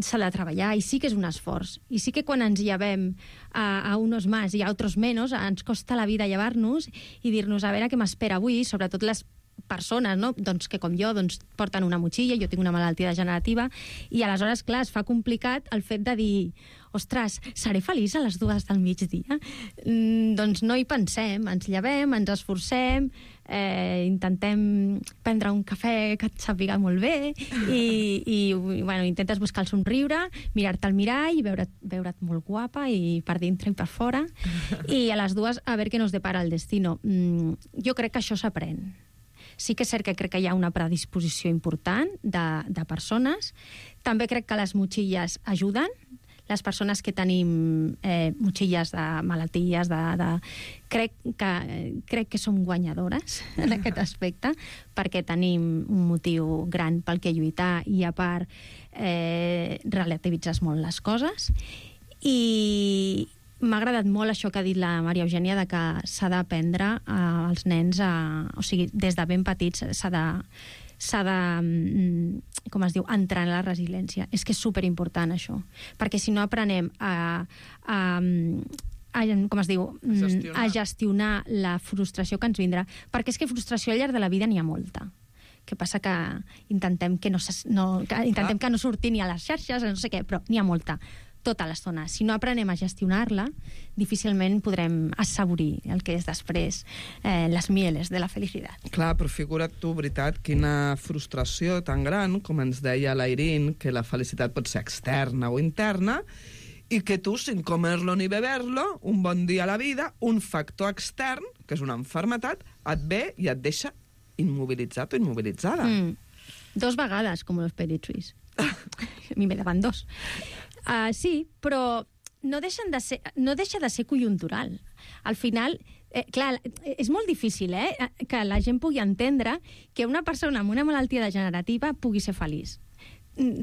s'ha de treballar, i sí que és un esforç. I sí que quan ens llevem a unos más i a otros menos, ens costa la vida llevar-nos i dir-nos a veure què m'espera avui, sobretot les persones, no? Doncs que com jo porten una motxilla, jo tinc una malaltia degenerativa, i aleshores, clar, es fa complicat el fet de dir, ostres, seré feliç a les 2 del migdia? Doncs no hi pensem, ens llevem, ens esforcem, intentem prendre un cafè que et sàpiga molt bé i intentes buscar el somriure, mirar-te al mirall, veure't molt guapa i per dintre i per fora, i a les 2 a veure què nos depara el destino. Jo crec que això s'aprèn. Sí que és cert que crec que hi ha una predisposició important de persones. També crec que les motxilles ajuden. Les persones que tenim motxilles de malalties, crec que som guanyadores en aquest aspecte, perquè tenim un motiu gran pel que lluitar i, a part, relativitzes molt les coses. I m'ha agradat molt això que ha dit la Maria Eugènia, de que s'ha d'aprendre als nens, o sigui, des de ben petits s'ha de, com es diu, entrenar la resiliència. És que és superimportant això, perquè si no aprenem com es diu, a gestionar la frustració que ens vindrà, perquè és que frustració al llarg de la vida n'hi ha molta. Que passa que intentem que no surti ni a les xarxes, no sé què, però n'hi ha molta tota l'estona. Si no aprenem a gestionar-la, difícilment podrem assaborir el que és després les mieles de la felicitat. Clar, però figura't tu, veritat, quina frustració tan gran, com ens deia la Irene, que la felicitat pot ser externa o interna, i que tu, sin comerlo ni beberlo, un bon dia a la vida, un factor extern, que és una malaltia, et ve i et deixa immobilitzat o immobilitzada. 2 vegades, com los perichuis. A mi me daban 2. Sí, però no deixa de ser conjuntural. Al final, clar, és molt difícil que la gent pugui entendre que una persona amb una malaltia degenerativa pugui ser feliç.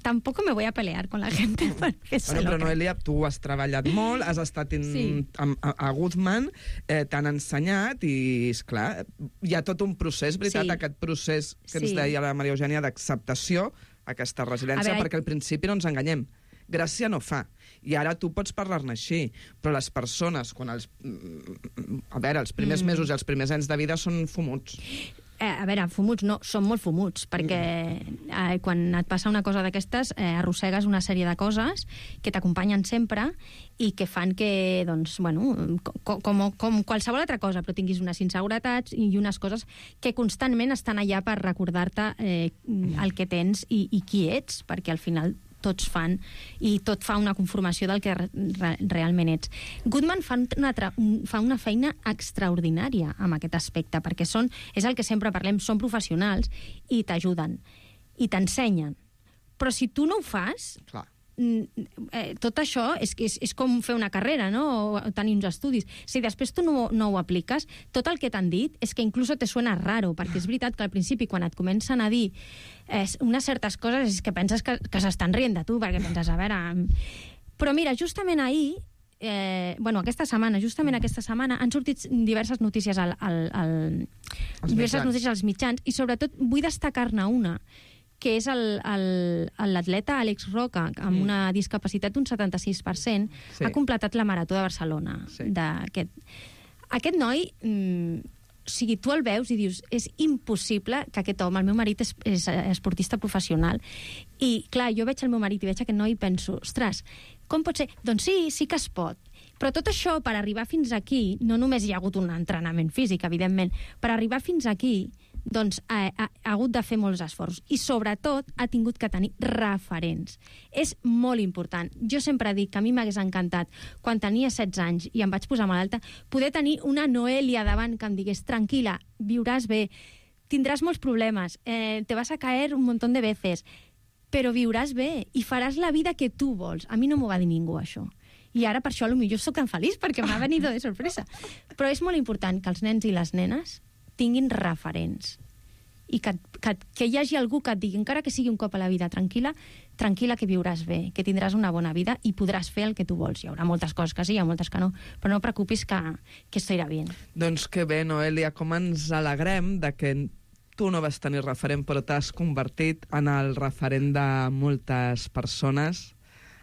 Tampoco me voy a pelear con la gente. Però Noelia, tu has treballat molt, has estat a Goodman, t'han ensenyat i, esclar, hi ha tot un procés, veritat, aquest procés que ens deia la Maria Eugènia d'acceptació, aquesta resiliència, perquè al principi no ens enganyem. Gràcia no fa. I ara tu pots parlar-ne així, però les persones, els primers mesos i els primers anys de vida són fumuts. A veure, fumuts no, són molt fumuts, perquè quan et passa una cosa d'aquestes arrossegues una sèrie de coses que t'acompanyen sempre i que fan que, doncs, com qualsevol altra cosa, però tinguis unes inseguretats i unes coses que constantment estan allà per recordar-te el que tens i qui ets, perquè al final tots fan, i tot fa una conformació del que realment ets. Goodman fa una feina extraordinària amb aquest aspecte, perquè és el que sempre parlem, són professionals i t'ajuden, i t'ensenyen. Però si tu no ho fas, tot això és com fer una carrera, no? O tenir uns estudis. Si després tu no ho apliques, tot el que t'han dit és que inclús te suena raro, perquè és veritat que al principi, quan et comencen a dir unes certes coses, és que penses que s'estan rient de tu, perquè penses, a veure... Però mira, justament ahir, aquesta setmana han sortit diverses notícies als mitjans, i sobretot vull destacar-ne una, que és l'atleta Àlex Roca, amb una discapacitat d'un 76%, ha completat la Marató de Barcelona. Aquest noi, tu el veus i dius, és impossible que aquest home, el meu marit és esportista professional, i clar, jo veig el meu marit i veig aquest noi i penso, ostres, com pot ser? Doncs sí que es pot. Però tot això, per arribar fins aquí, no només hi ha hagut un entrenament físic, evidentment, per arribar fins aquí, doncs ha hagut de fer molts esforços i sobretot ha tingut que tenir referents. És molt important. Jo sempre dic que a mi m'hagués encantat, quan tenia 16 anys i em vaig posar malalta, poder tenir una Noelia davant que em digués tranquil·la, viuràs bé, tindràs molts problemes, te vas a caer un montón de veces, però viuràs bé i faràs la vida que tu vols. A mi no m'ho va dir ningú, això. I ara per això potser soc tan feliç, perquè m'ha venit de sorpresa. Però és molt important que els nens i les nenes tinguin referents i que hi hagi algú que et digui, encara que sigui un cop a la vida, tranquil·la que viuràs bé, que tindràs una bona vida i podràs fer el que tu vols. Hi haurà moltes coses que sí, hi ha moltes que no, però no preocupis que esto irà bé. Doncs que bé, Noelia, com ens alegrem de que tu no vas tenir referent, però t'has convertit en el referent de moltes persones,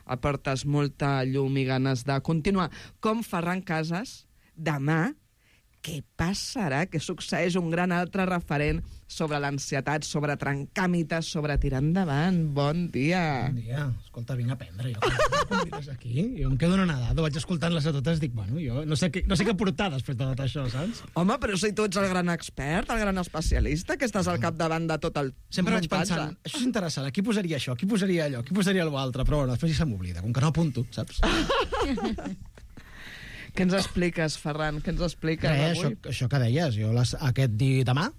aportes molta llum i ganes de continuar. Com Ferran Casas, demà, què passarà? Que succeeix un gran altre referent sobre l'ansietat, sobre trencar mites, sobre tirar endavant. Bon dia. Bon dia. Escolta, vinc a aprendre. Jo convides aquí. Jo em quedo anonadado. Vaig escoltant-les a totes, dic, bueno, jo no sé què portar després de tot això, saps? Home, però si tu ets el gran expert, el gran especialista, que estàs al capdavant de tot el Sempre vaig muntatge. pensant, això és interessant, aquí posaria això, aquí posaria allò, aquí posaria allò altre, però bueno, després ja se m'oblida, com que no apunto, saps? Què ens expliques, Ferran? Què ens expliques avui? Això que deies, jo demà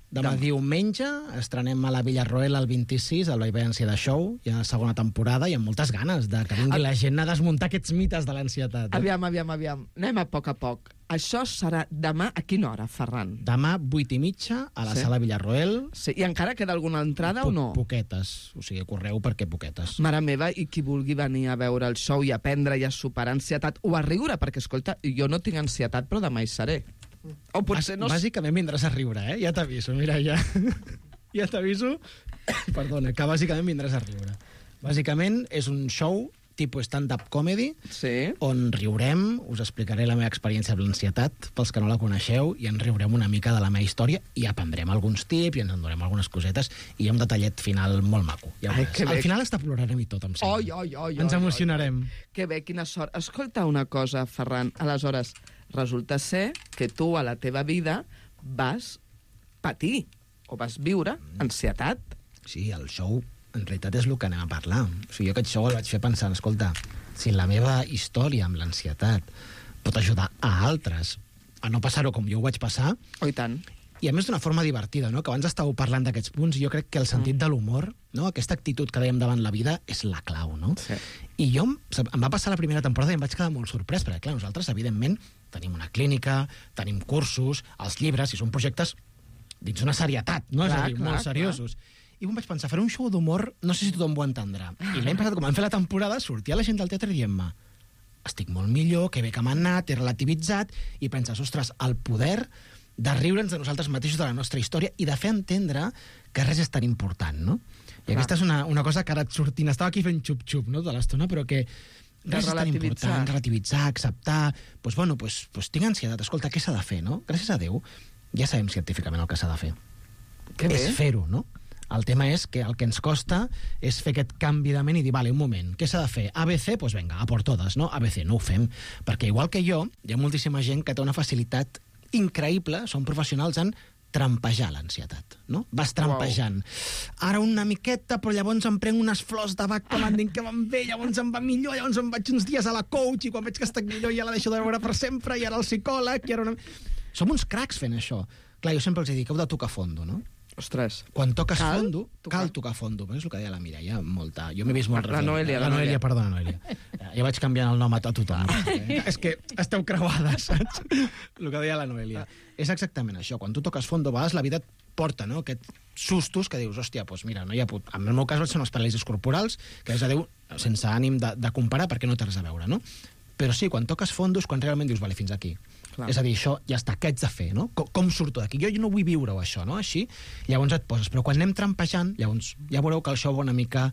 diumenge, estrenem a la Villarroel el 26, al Vivència de Show, hi ha la segona temporada, i amb moltes ganes de que vingui la gent a desmuntar aquests mites de l'ansietat. Aviam. Anem a poc. Això serà demà a quina hora, Ferran? Demà, 8:30, a la sala Villarroel. Sí. I encara queda alguna entrada o no? Poquetes, o sigui, correu perquè poquetes. Mare meva, i qui vulgui venir a veure el show i aprendre i a superar ansietat o a riure, perquè, escolta, jo no tinc ansietat, però demà hi seré. O potser no... Bàsicament vindràs a riure, ja t'aviso, mira, ja t'aviso, perdona, que bàsicament vindràs a riure. Bàsicament és un show tipus stand-up comedy, sí, on riurem, us explicaré la meva experiència amb l'ansietat, pels que no la coneixeu, i ens riurem una mica de la meva història i aprendrem alguns tips i ens en donarem algunes cosetes, i hi ha un detallet final molt maco. Ja al final hasta plorarem i tot, em sembla. Ens emocionarem. Que bé, quina sort. Escolta una cosa, Ferran, aleshores, resulta ser que tu a la teva vida vas patir o vas viure ansietat. Sí, el show en realitat és el que anem a parlar. O sigui, jo aquest show el vaig fer pensant, escolta, si la meva història amb l'ansietat pot ajudar a altres a no passar-ho com jo ho vaig passar... Oh, i tant. I a més d'una forma divertida, no? Que abans estàveu parlant d'aquests punts, i jo crec que el sentit de l'humor, no? Aquesta actitud que dèiem davant la vida, és la clau, no? Sí. I jo, em va passar la primera temporada i em vaig quedar molt sorprès, perquè, clar, nosaltres, evidentment, tenim una clínica, tenim cursos, els llibres, i són projectes dins una serietat, no? És a dir, molt seriosos. I em vaig pensar, faré un show d'humor, no sé si tothom ho entendrà. I l'any passat, com vam fer la temporada, sortia la gent del teatre dient-me, estic molt millor, que bé que m'ha anat, he relativitzat, i penses, ostres, el poder de riure'ns de nosaltres mateixos, de la nostra història, i de fer entendre que res és tan important, no? I aquesta és una cosa que ara et sortint, estava aquí fent xup-xup, no?, de l'estona, però que res és tan important, relativitzar, acceptar, doncs tinc ansietat, escolta, què s'ha de fer, no? Gràcies a Déu, ja sabem científicament el que s'ha de fer. Que bé. És fer-ho, no? El tema és que el que ens costa és fer aquest canvi de ment i dir, vale, un moment, què s'ha de fer? ABC? Doncs vinga, a por totes, no? ABC, no ho fem. Perquè igual que jo, hi ha moltíssima gent que té una facilitat increïble, són professionals en trampejar l'ansietat, no? Vas trampejant. Ara una miqueta, però llavors em prenc unes flors de Bach que m'han dit que van bé, llavors em va millor, llavors em vaig uns dies a la coach i quan veig que estic millor ja la deixo de veure per sempre i ara el psicòleg i ara una... Som uns cracs fent això. Clar, jo sempre els dic, heu de tocar fondo, no? Ostres. Quan toques fondo, cal tocar fondo. Però és el que deia la Mireia, molta... Jo m'he vist molt La Noelia. Perdona, Noelia. Ja vaig canviant el nom a tothom. És que esteu creuades, saps? El que deia la Noelia. És exactament això. Quan tu toques fondo, a vegades la vida et porta, no?, aquests sustos que dius, hòstia, doncs mira, no hi ha put... En el meu cas són els paràlisis corporals, que és a dir, sense ànim de comparar, perquè no té res a veure, no? Però sí, quan toques fondos, quan realment dius, vale, fins aquí. Clar. És a dir, això ja està, què haig de fer, no? Com surto d'aquí? Jo no vull viure-ho, això, no? Així, llavors et poses. Però quan anem trampejant, llavors ja veureu que el show va una mica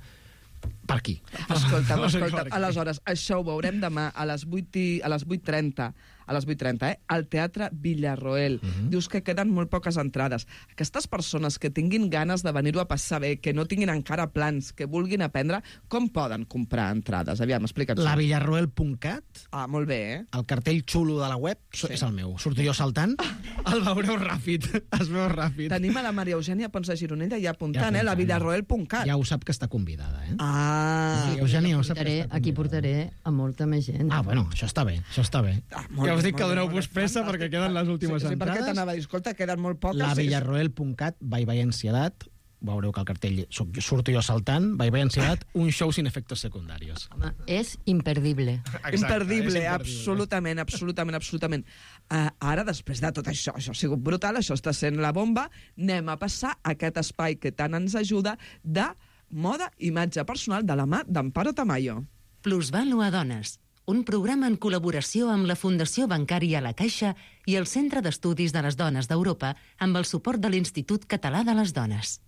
per aquí. Escolta'm. Aleshores, això ho veurem demà a les 8:30, al Teatre Villarroel. Dius que queden molt poques entrades. Aquestes persones que tinguin ganes de venir-ho a passar bé, que no tinguin encara plans, que vulguin aprendre, com poden comprar entrades? Aviam, explica'ns. Lavillarroel.cat. Ah, molt bé, El cartell xulo de la web és el meu. Surto jo saltant El veureu ràpid, es veu ràpid. Tenim a la Maria Eugènia Pons de Gironella ja apuntant, la villarroel.cat. Ja ho sap que està convidada, Ah. Eugènia, ho sap que està convidada. Aquí portaré a molta més gent. Bueno, això està bé, això està bé. Ja us dic que doneu-vos pressa perquè queden les últimes entrades. Sí, perquè t'anava a dir, escolta, queden molt poques. La villarroel.cat, Bye Bye Ansiedat, veureu que al cartell surto jo saltant, Bye Bye Ansiedat, un show sin efectos secundarios. Home, és imperdible. Exacte, imperdible, absolutament, absolutament, absolutament. Ara, després de tot això ha sigut brutal, això està sent la bomba, anem a passar a aquest espai que tant ens ajuda de moda, imatge personal, de la mà d'Amparo Tamayo. Plusvalua Dones, un programa en col·laboració amb la Fundació Bancària La Caixa i el Centre d'Estudis de les Dones d'Europa amb el suport de l'Institut Català de les Dones.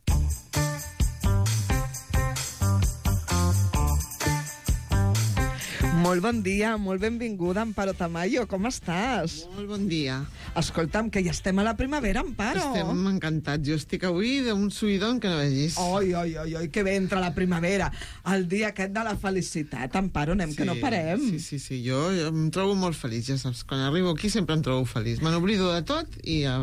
Molt bon dia, molt benvinguda, Amparo Tamayo, com estàs? Molt bon dia. Escolta'm, que ja estem a la primavera, Amparo. Estem encantats. Jo estic avui d'un subidon que no vegis. Oi, que bé entra la primavera. El dia aquest de la felicitat, Amparo, anem que no parem. Sí, jo em trobo molt feliç, ja saps. Quan arribo aquí sempre em trobo feliç. Me n'oblido de tot i a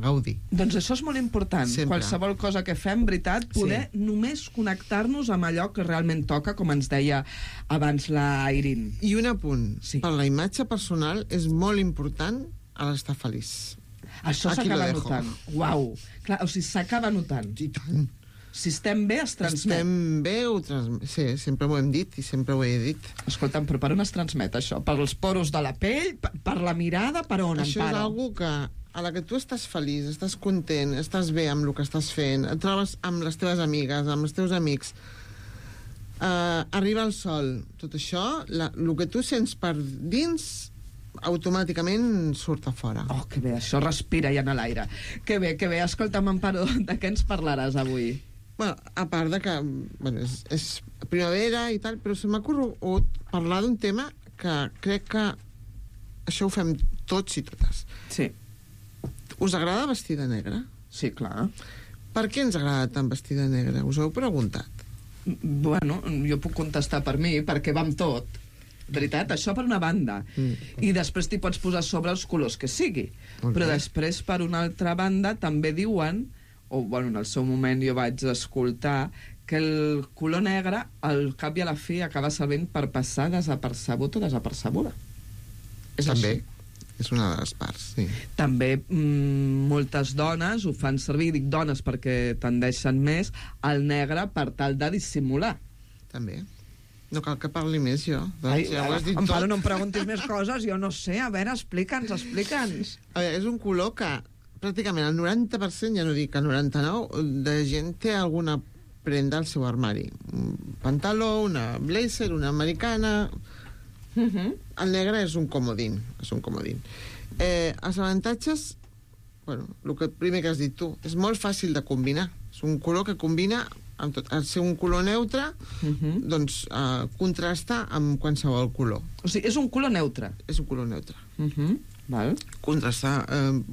gaudir. Doncs això és molt important. Sempre. Qualsevol cosa que fem, veritat, poder només connectar-nos amb allò que realment toca, com ens deia abans la Irin. I un apunt. Per la imatge personal és molt important a l'estar feliç. Això s'acaba notant. Uau. Clar, o sigui, s'acaba notant. I tant. Si estem bé, es transmet. Estem bé, sí, sempre ho hem dit i sempre ho he dit. Escolta'm, però per on es transmet això? Per els poros de la pell? Per la mirada? Per on, Això Amparo? és algo que a la que tu estàs feliç, estàs content, estàs bé amb el que estàs fent, et trobes amb les teves amigues, amb els teus amics, arriba el sol, tot això, el que tu sents per dins automàticament surt a fora. Oh, que bé, això respira ja en l'aire. Que bé. Escolta'm, Amparo, de què ens parlaràs avui? Bueno, a part de que és primavera i tal, però se m'ha corregut parlar d'un tema que crec que això ho fem tots i totes. Sí. Us agrada vestir de negre? Sí, clar. Per què ens agrada tant vestir de negre? Us heu preguntat? Bueno, jo puc contestar per mi, perquè va amb tot. Veritat, això per una banda. I després t'hi pots posar sobre els colors que sigui. Okay. Però després, per una altra banda, també diuen, o bueno, en el seu moment jo vaig escoltar, que el color negre, al cap i a la fi, acaba servint per passar desapercebut o desapercebuda. És també. Així. És una de les parts, sí. També moltes dones ho fan servir, dic dones perquè tendeixen més, al negre per tal de dissimular. També. No cal que parli més, jo. Ai, ja ho has dit Amparo, tot. no em preguntis més coses, jo no sé. A veure, explica'ns. A veure, és un color que pràcticament el 90%, ja no dic el 99%, de gent té alguna prenda al seu armari. Un pantaló, una blazer, una americana... El negre és un comodín. Els avantatges, bueno, el primer que has dit tu, és molt fàcil de combinar. És un color que combina amb tot. Al ser un color neutre, doncs contrasta amb qualsevol color. O sigui, és un color neutre. És un color neutre. Val. Contrasta,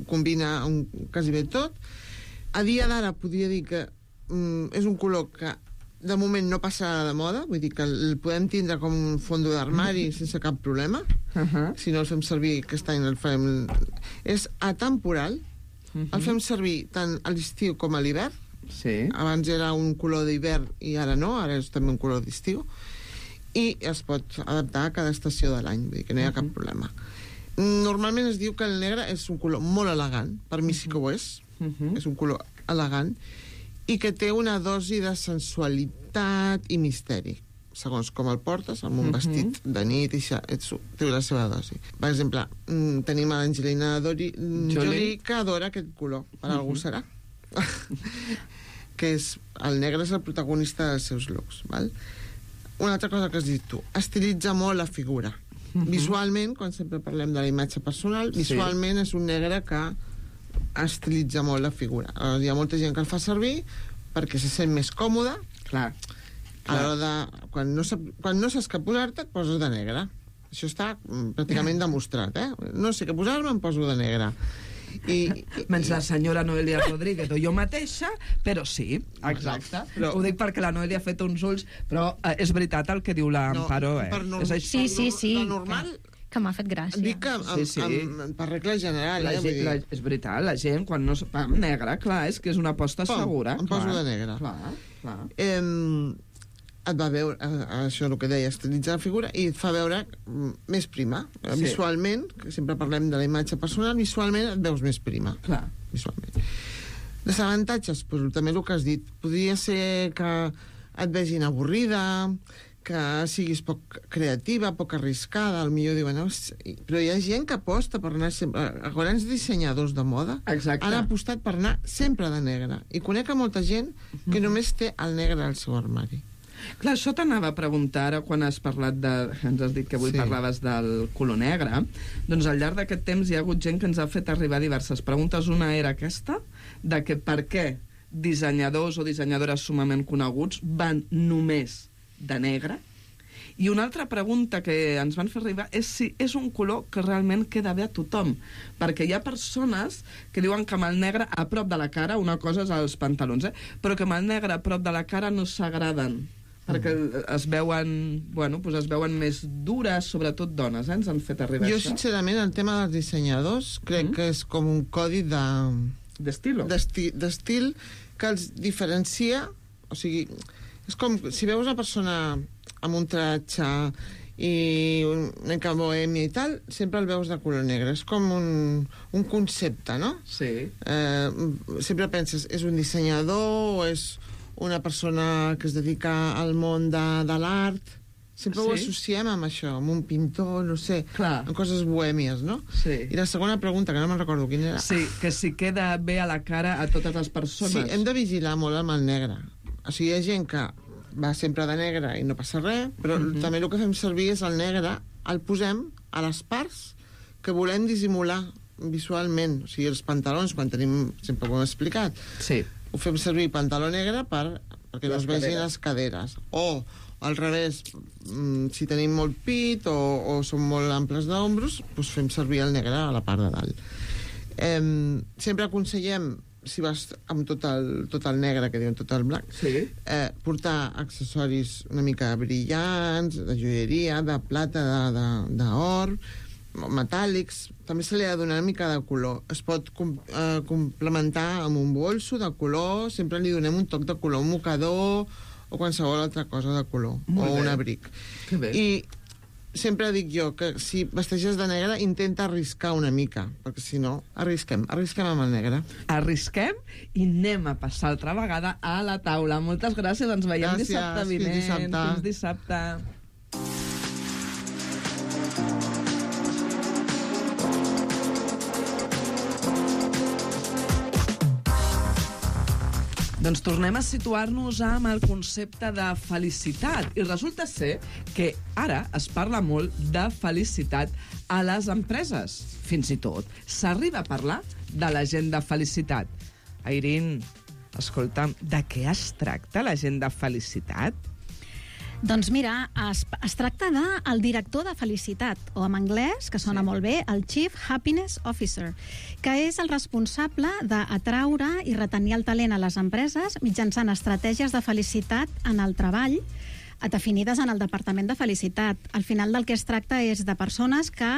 combina quasi bé tot. A dia d'ara podria dir que és un color que de moment no passarà de moda, vull dir que el podem tindre com un fondo d'armari sense cap problema. Si no el fem servir, aquest any el farem... És atemporal, el fem servir tant a l'estiu com a l'hivern. Sí. Abans era un color d'hivern i ara no, ara és també un color d'estiu. I es pot adaptar a cada estació de l'any, vull dir que no hi ha cap problema. Normalment es diu que el negre és un color molt elegant, per mi sí que ho és, és un color elegant, i que té una dosi de sensualitat i misteri. Segons com el portes, amb un vestit de nit, i té la seva dosi. Per exemple, tenim a l'Angelina Jolie, que adora aquest color. Per algú serà. Que és, el negre és el protagonista dels seus looks. Val? Una altra cosa que has dit tu, estilitza molt la figura. Visualment, quan sempre parlem de la imatge personal, visualment és un negre que estilitza molt la figura. Hi ha molta gent que el fa servir perquè se sent més còmode. Clar. A l'hora de... Quan no saps què posar-te, et poses de negre. Això està pràcticament demostrat, No sé què posar-me, em poso de negre. Menys la senyora Noelia Rodríguez o jo mateixa, però sí, exacte. Però... Ho dic perquè la Noelia ha fet uns ulls, però és veritat el que diu l'Amparo, Sí. La normal que m'ha fet gràcia. Dic que per regla general, és veritat, la gent, quan no... Negre, clar, és que és una aposta segura. Em poso de negre. Clar. Et va veure, això és el que deia, estilitzar la figura i et fa veure més prima. Visualment, que sempre parlem de la imatge personal, visualment et veus més prima. Clar. Visualment. Desavantatges, doncs, també el que has dit. Podria ser que et vegin avorrida, que siguis poc creativa, poc arriscada, potser diuen... Però hi ha gent que aposta per anar sempre... Grans dissenyadors de moda han apostat per anar sempre de negre. I conec molta gent que només té el negre al seu armari. Clar, això t'anava a preguntar ara quan has parlat de... Ens has dit que avui parlaves del color negre. Doncs al llarg d'aquest temps hi ha hagut gent que ens ha fet arribar diverses preguntes. Una era aquesta, de que per què dissenyadors o dissenyadores sumament coneguts van només de negre. I una altra pregunta que ens van fer arribar és si és un color que realment queda bé a tothom. Perquè hi ha persones que diuen que amb el negre a prop de la cara, una cosa és els pantalons, però que amb el negre a prop de la cara no s'agraden. Perquè es veuen, es veuen més dures, sobretot dones, ens han fet arribar això. Jo, sincerament, el tema dels dissenyadors crec que és com un codi d'estil que els diferencia, o sigui, és com si veus una persona amb un tratge i una mica bohèmia i tal, sempre el veus de color negre. És com un concepte, no? Sí. Sempre penses, és un dissenyador o és una persona que es dedica al món de l'art. Sempre ho associem amb això, amb un pintor, no sé, amb coses bohèmies, no? Sí. I la segona pregunta, que no me'n recordo quina era... Sí, que si queda bé a la cara a totes les persones. Sí, hem de vigilar molt amb el negre. O sigui, hi ha gent que va sempre de negre i no passa res, però també el que fem servir és el negre, el posem a les parts que volem dissimular visualment. O sigui, els pantalons, quan tenim... Sempre ho hem explicat. Sí. Ho fem servir pantaló negre perquè no es vegin les caderes. O, al revés, si tenim molt pit o som molt amples d'ombros, doncs fem servir el negre a la part de dalt. Sempre aconsellem, si vas amb tot el negre, que diuen tot el blanc, portar accessoris una mica brillants, de joieria, de plata, d'or, metàl·lics. També se li ha de donar una mica de color. Es pot complementar amb un bolso de color, sempre li donem un toc de color, un mocador o qualsevol altra cosa de color, o un abric. Que bé. I sempre dic jo que si vesteixes de negre intenta arriscar una mica, perquè si no, arrisquem amb el negre. Arrisquem i anem a passar altra vegada a la taula. Moltes gràcies, ens veiem dissabte vinent. Fins dissabte. Doncs tornem a situar-nos amb el concepte de felicitat. I resulta ser que ara es parla molt de felicitat a les empreses. Fins i tot s'arriba a parlar de l'agent de felicitat. Airín, escolta'm, de què es tracta l'agent de felicitat? Doncs mira, es tracta del director de felicitat, o en anglès, que sona molt bé, el Chief Happiness Officer, que és el responsable d'atraure i retenir el talent a les empreses mitjançant estratègies de felicitat en el treball definides en el Departament de Felicitat. Al final del que es tracta és de persones que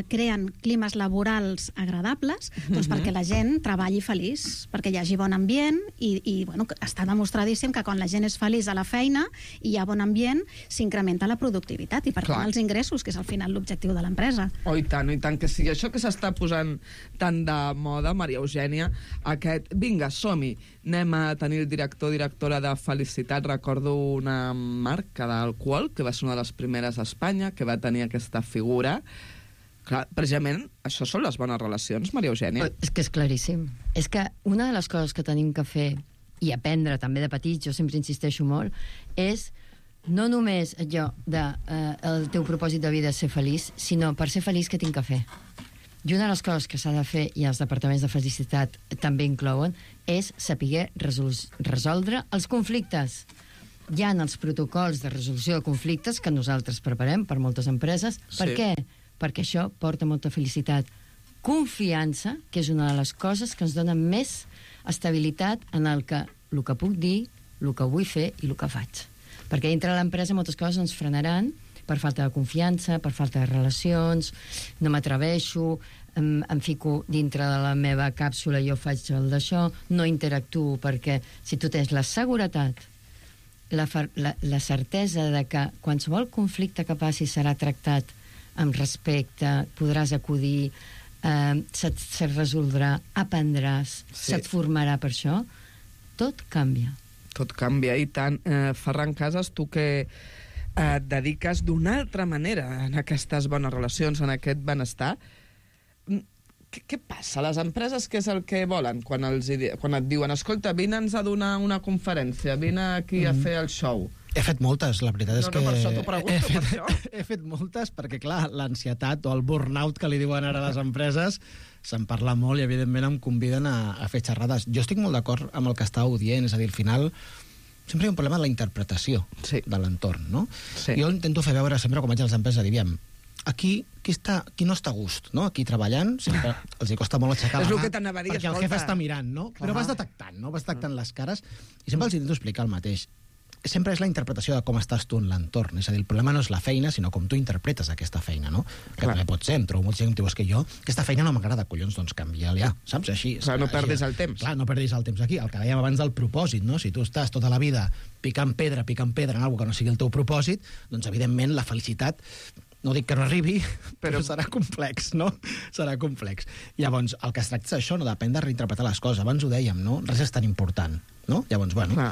creen climes laborals agradables doncs perquè la gent treballi feliç, perquè hi hagi bon ambient i bueno, està demostradíssim que quan la gent és feliç a la feina i hi ha bon ambient, s'incrementa la productivitat i per tant els ingressos, que és al final l'objectiu de l'empresa. Oh, i tant, que sigui això que s'està posant tan de moda, Maria Eugènia, vinga, som-hi, anem a tenir el directora de Felicitat. Recordo una marca d'alcohol, que va ser una de les primeres a Espanya, que va tenir aquesta figura. Clar, precisament, això són les bones relacions, Maria Eugènia. És que és claríssim. És que una de les coses que tenim que fer i aprendre també de petits, jo sempre insisteixo molt, és no només allò de el teu propòsit de vida és ser feliç, sinó per ser feliç què tinc que fer. I una de les coses que s'ha de fer, i els departaments de felicitat també inclouen, és saber resoldre els conflictes. Hi ha els protocols de resolució de conflictes que nosaltres preparem per moltes empreses. Per què? Perquè això porta molta felicitat. Confiança, que és una de les coses que ens dona més estabilitat en el que puc dir, el que vull fer i el que faig. Perquè dintre de l'empresa moltes coses ens frenaran per falta de confiança, per falta de relacions, no m'atreveixo, em fico dintre de la meva càpsula i jo faig el d'això, no interactuo, perquè si tu tens la seguretat, la certesa de que qualsevol conflicte que passi serà tractat amb respecte, podràs acudir, se't resoldrà, aprendràs, se't formarà per això, tot canvia. Tot canvia, i tant. Ferran Casas, tu que et dediques d'una altra manera en aquestes bones relacions, en aquest benestar, què passa? Les empreses què és el que volen quan et diuen escolta, vine'ns a donar una conferència, vine aquí a fer el show? He fet moltes, la veritat és que... per això t'ho pregunto, per això. He fet moltes perquè, clar, l'ansietat o el burnout que li diuen ara a les empreses se'n parla molt i, evidentment, em conviden a fer xerrades. Jo estic molt d'acord amb el que estàveu dient, és a dir, al final sempre hi ha un problema de la interpretació de l'entorn, no? Sí. Jo intento fer veure sempre, quan vaig a les empreses, diguem, aquí qui no està a gust, no? Aquí treballant, sempre els hi costa molt aixecar la mà, perquè el jefe està mirant, no? Però vas detectant, no? Vas detectant les cares i sempre els intento explicar el mateix. Sempre és la interpretació de com estàs tu en l'entorn. És a dir, el problema no és la feina, sinó com tu interpretes aquesta feina, no? Que també pot ser, em trobo molta gent que diu, és que jo, aquesta feina no m'agrada, collons, doncs canvia-la ja, saps? Així. Clar, no perdis el temps. Clar, no perdis el temps aquí. El que dèiem abans del propòsit, no? Si tu estàs tota la vida picant pedra en alguna que no sigui el teu propòsit, doncs, evidentment, la felicitat, no dic que no arribi, però serà complex, no? Serà complex. Llavors, el que es tracta és això, no? Depèn de reinterpretar les coses. Abans ho dèiem, no? Res és tan important, no? Llavors, bueno... Clar.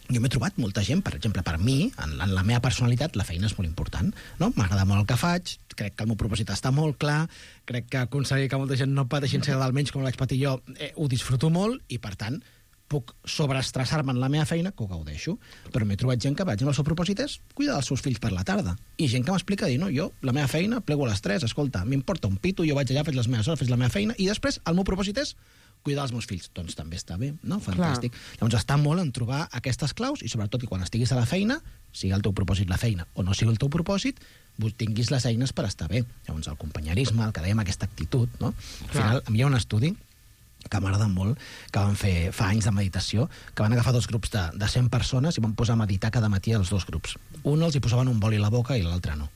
Jo m'he trobat molta gent, per exemple, per mi, en la meva personalitat, la feina és molt important, no? M'agrada molt el que faig, crec que el meu propòsit està molt clar, crec que aconseguir que molta gent no pateixi ser d'almenys com l'haig patit jo, ho disfruto molt, i, per tant, puc sobreestressar-me en la meva feina, que ho gaudeixo. Però m'he trobat gent que, per exemple, el seu propòsit és cuidar dels seus fills per la tarda. I gent que m'explica, dir, no, jo, la meva feina, plego a les 3, escolta, m'importa un pito, jo vaig allà, faig les meves hores, faig la meva feina, i després el meu propòsit és cuidar els meus fills. Doncs també està bé, no? Fantàstic. Clar. Llavors està molt en trobar aquestes claus i sobretot que quan estiguis a la feina, sigui el teu propòsit la feina o no sigui el teu propòsit, tinguis les eines per estar bé. Llavors el companyerisme, el que dèiem, aquesta actitud, no? Al final, hi ha un estudi que m'agrada molt, que van fer fa anys de meditació, que van agafar 2 grups de 100 persones i van posar a meditar cada matí els 2 grups. Un els hi posaven un boli a la boca i l'altre no.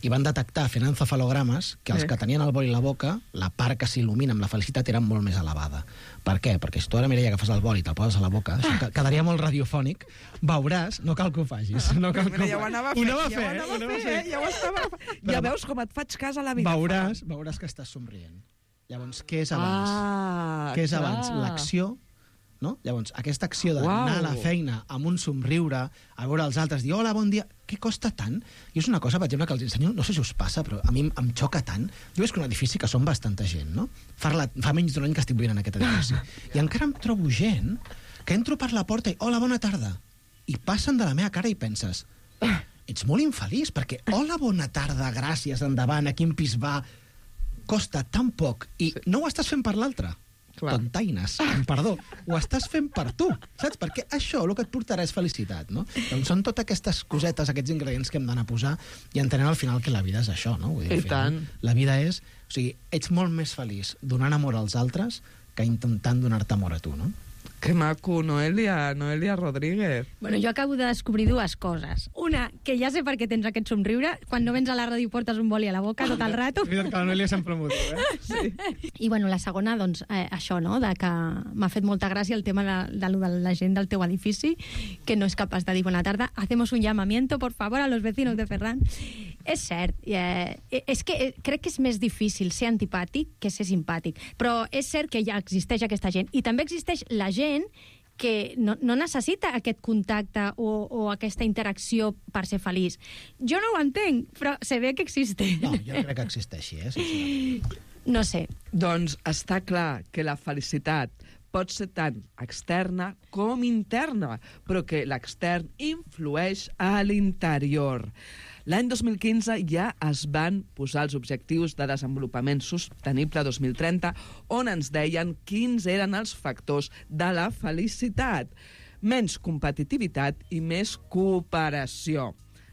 I van detectar, fent encefalogrames, que els que tenien el boli a la boca, la part que s'il·lumina amb la felicitat era molt més elevada. Per què? Perquè si tu ara, Mireia, agafes el boli i te'l poses a la boca, això quedaria molt radiofònic, veuràs, no cal que ho facis. No cal que ja ho anava a fer, ja ho estava fent. Ja veus com et faig cas a la vida. Veuràs que estàs somrient. Llavors, què és abans? Què és abans? L'acció, no? Llavors, aquesta acció d'anar a la feina amb un somriure, a veure els altres, dir hola, bon dia, què costa tant? I és una cosa, per exemple, que els ensenyo, no sé si us passa, però a mi em xoca tant. Jo veig que un edifici que som bastanta gent, no? Fa menys d'un any que estic vivint en aquest edifici. I encara em trobo gent que entro per la porta i hola, bona tarda. I passen de la meva cara i penses, ets molt infeliç, perquè hola, bona tarda, gràcies, endavant, a quin pis va, costa tan poc i no ho estàs fent per l'altre. Tontaines, perdó, ho estàs fent per tu, saps? Perquè això el que et portarà és felicitat, no? Doncs són totes aquestes cosetes, aquests ingredients que hem d'anar a posar i entenent al final que la vida és això, no? Vull dir, al final, la vida és... O sigui, ets molt més feliç donant amor als altres que intentant donar-te amor a tu, no? Que maco, Noelia Rodríguez. Bueno, jo acabo de descobrir 2 coses. Una, que ja sé per què tens aquest somriure. Quan no vens a la ràdio portes un boli a la boca tot el rato. És veritat que la Noelia sempre m'ho diu, Sí. I bueno, la segona, doncs, això, no?, de que m'ha fet molta gràcia el tema de la gent del teu edifici, que no és capaç de dir bona tarda. Hacemos un llamamiento, por favor, a los vecinos de Ferran. És cert, és que crec que és més difícil ser antipàtic que ser simpàtic, però és cert que ja existeix aquesta gent, i també existeix la gent que no necessita aquest contacte o aquesta interacció per ser feliç. Jo no ho entenc, però se ve que existe. No, jo no crec que existeixi, No sé. Doncs està clar que la felicitat pot ser tant externa com interna, però que l'extern influeix a l'interior. L'any 2015 ja es van posar els objectius de desenvolupament sostenible 2030, on ens deien quins eren els factors de la felicitat. Menys competitivitat i més cooperació.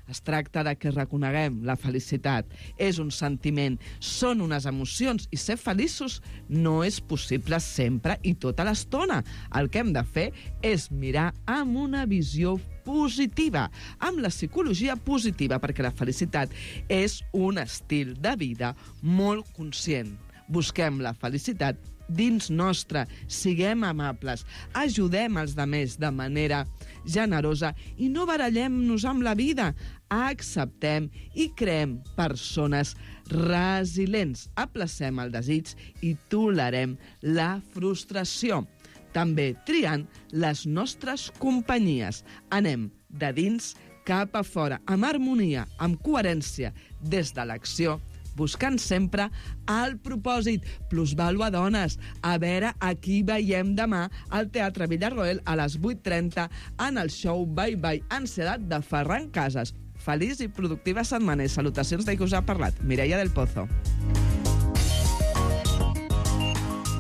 Es tracta de que reconeguem la felicitat. És un sentiment, són unes emocions, i ser feliços no és possible sempre i tota l'estona. El que hem de fer és mirar amb una visió positiva, amb la psicologia positiva, perquè la felicitat és un estil de vida molt conscient. Busquem la felicitat dins nostre, siguem amables, ajudem els demés de manera generosa i no barallem-nos amb la vida. Acceptem i creem persones resilients. Aplacem el desig i tolerem la frustració. També triant les nostres companyies. Anem de dins cap a fora, amb harmonia, amb coherència, des de l'acció, buscant sempre el propòsit. Plusvàlua Dones. A veure a qui veiem demà al Teatre Villarroel a les 8:30 en el show Bye Bye Ansietat de Ferran Casas. Feliç i productiva setmana i salutacions de qui us ha parlat, Mireia del Pozo.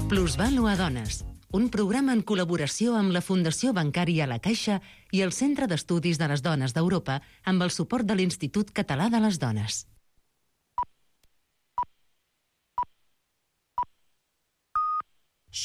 Plusvàlua Dones, un programa en col·laboració amb la Fundació Bancària La Caixa i el Centre d'Estudis de les Dones d'Europa amb el suport de l'Institut Català de les Dones.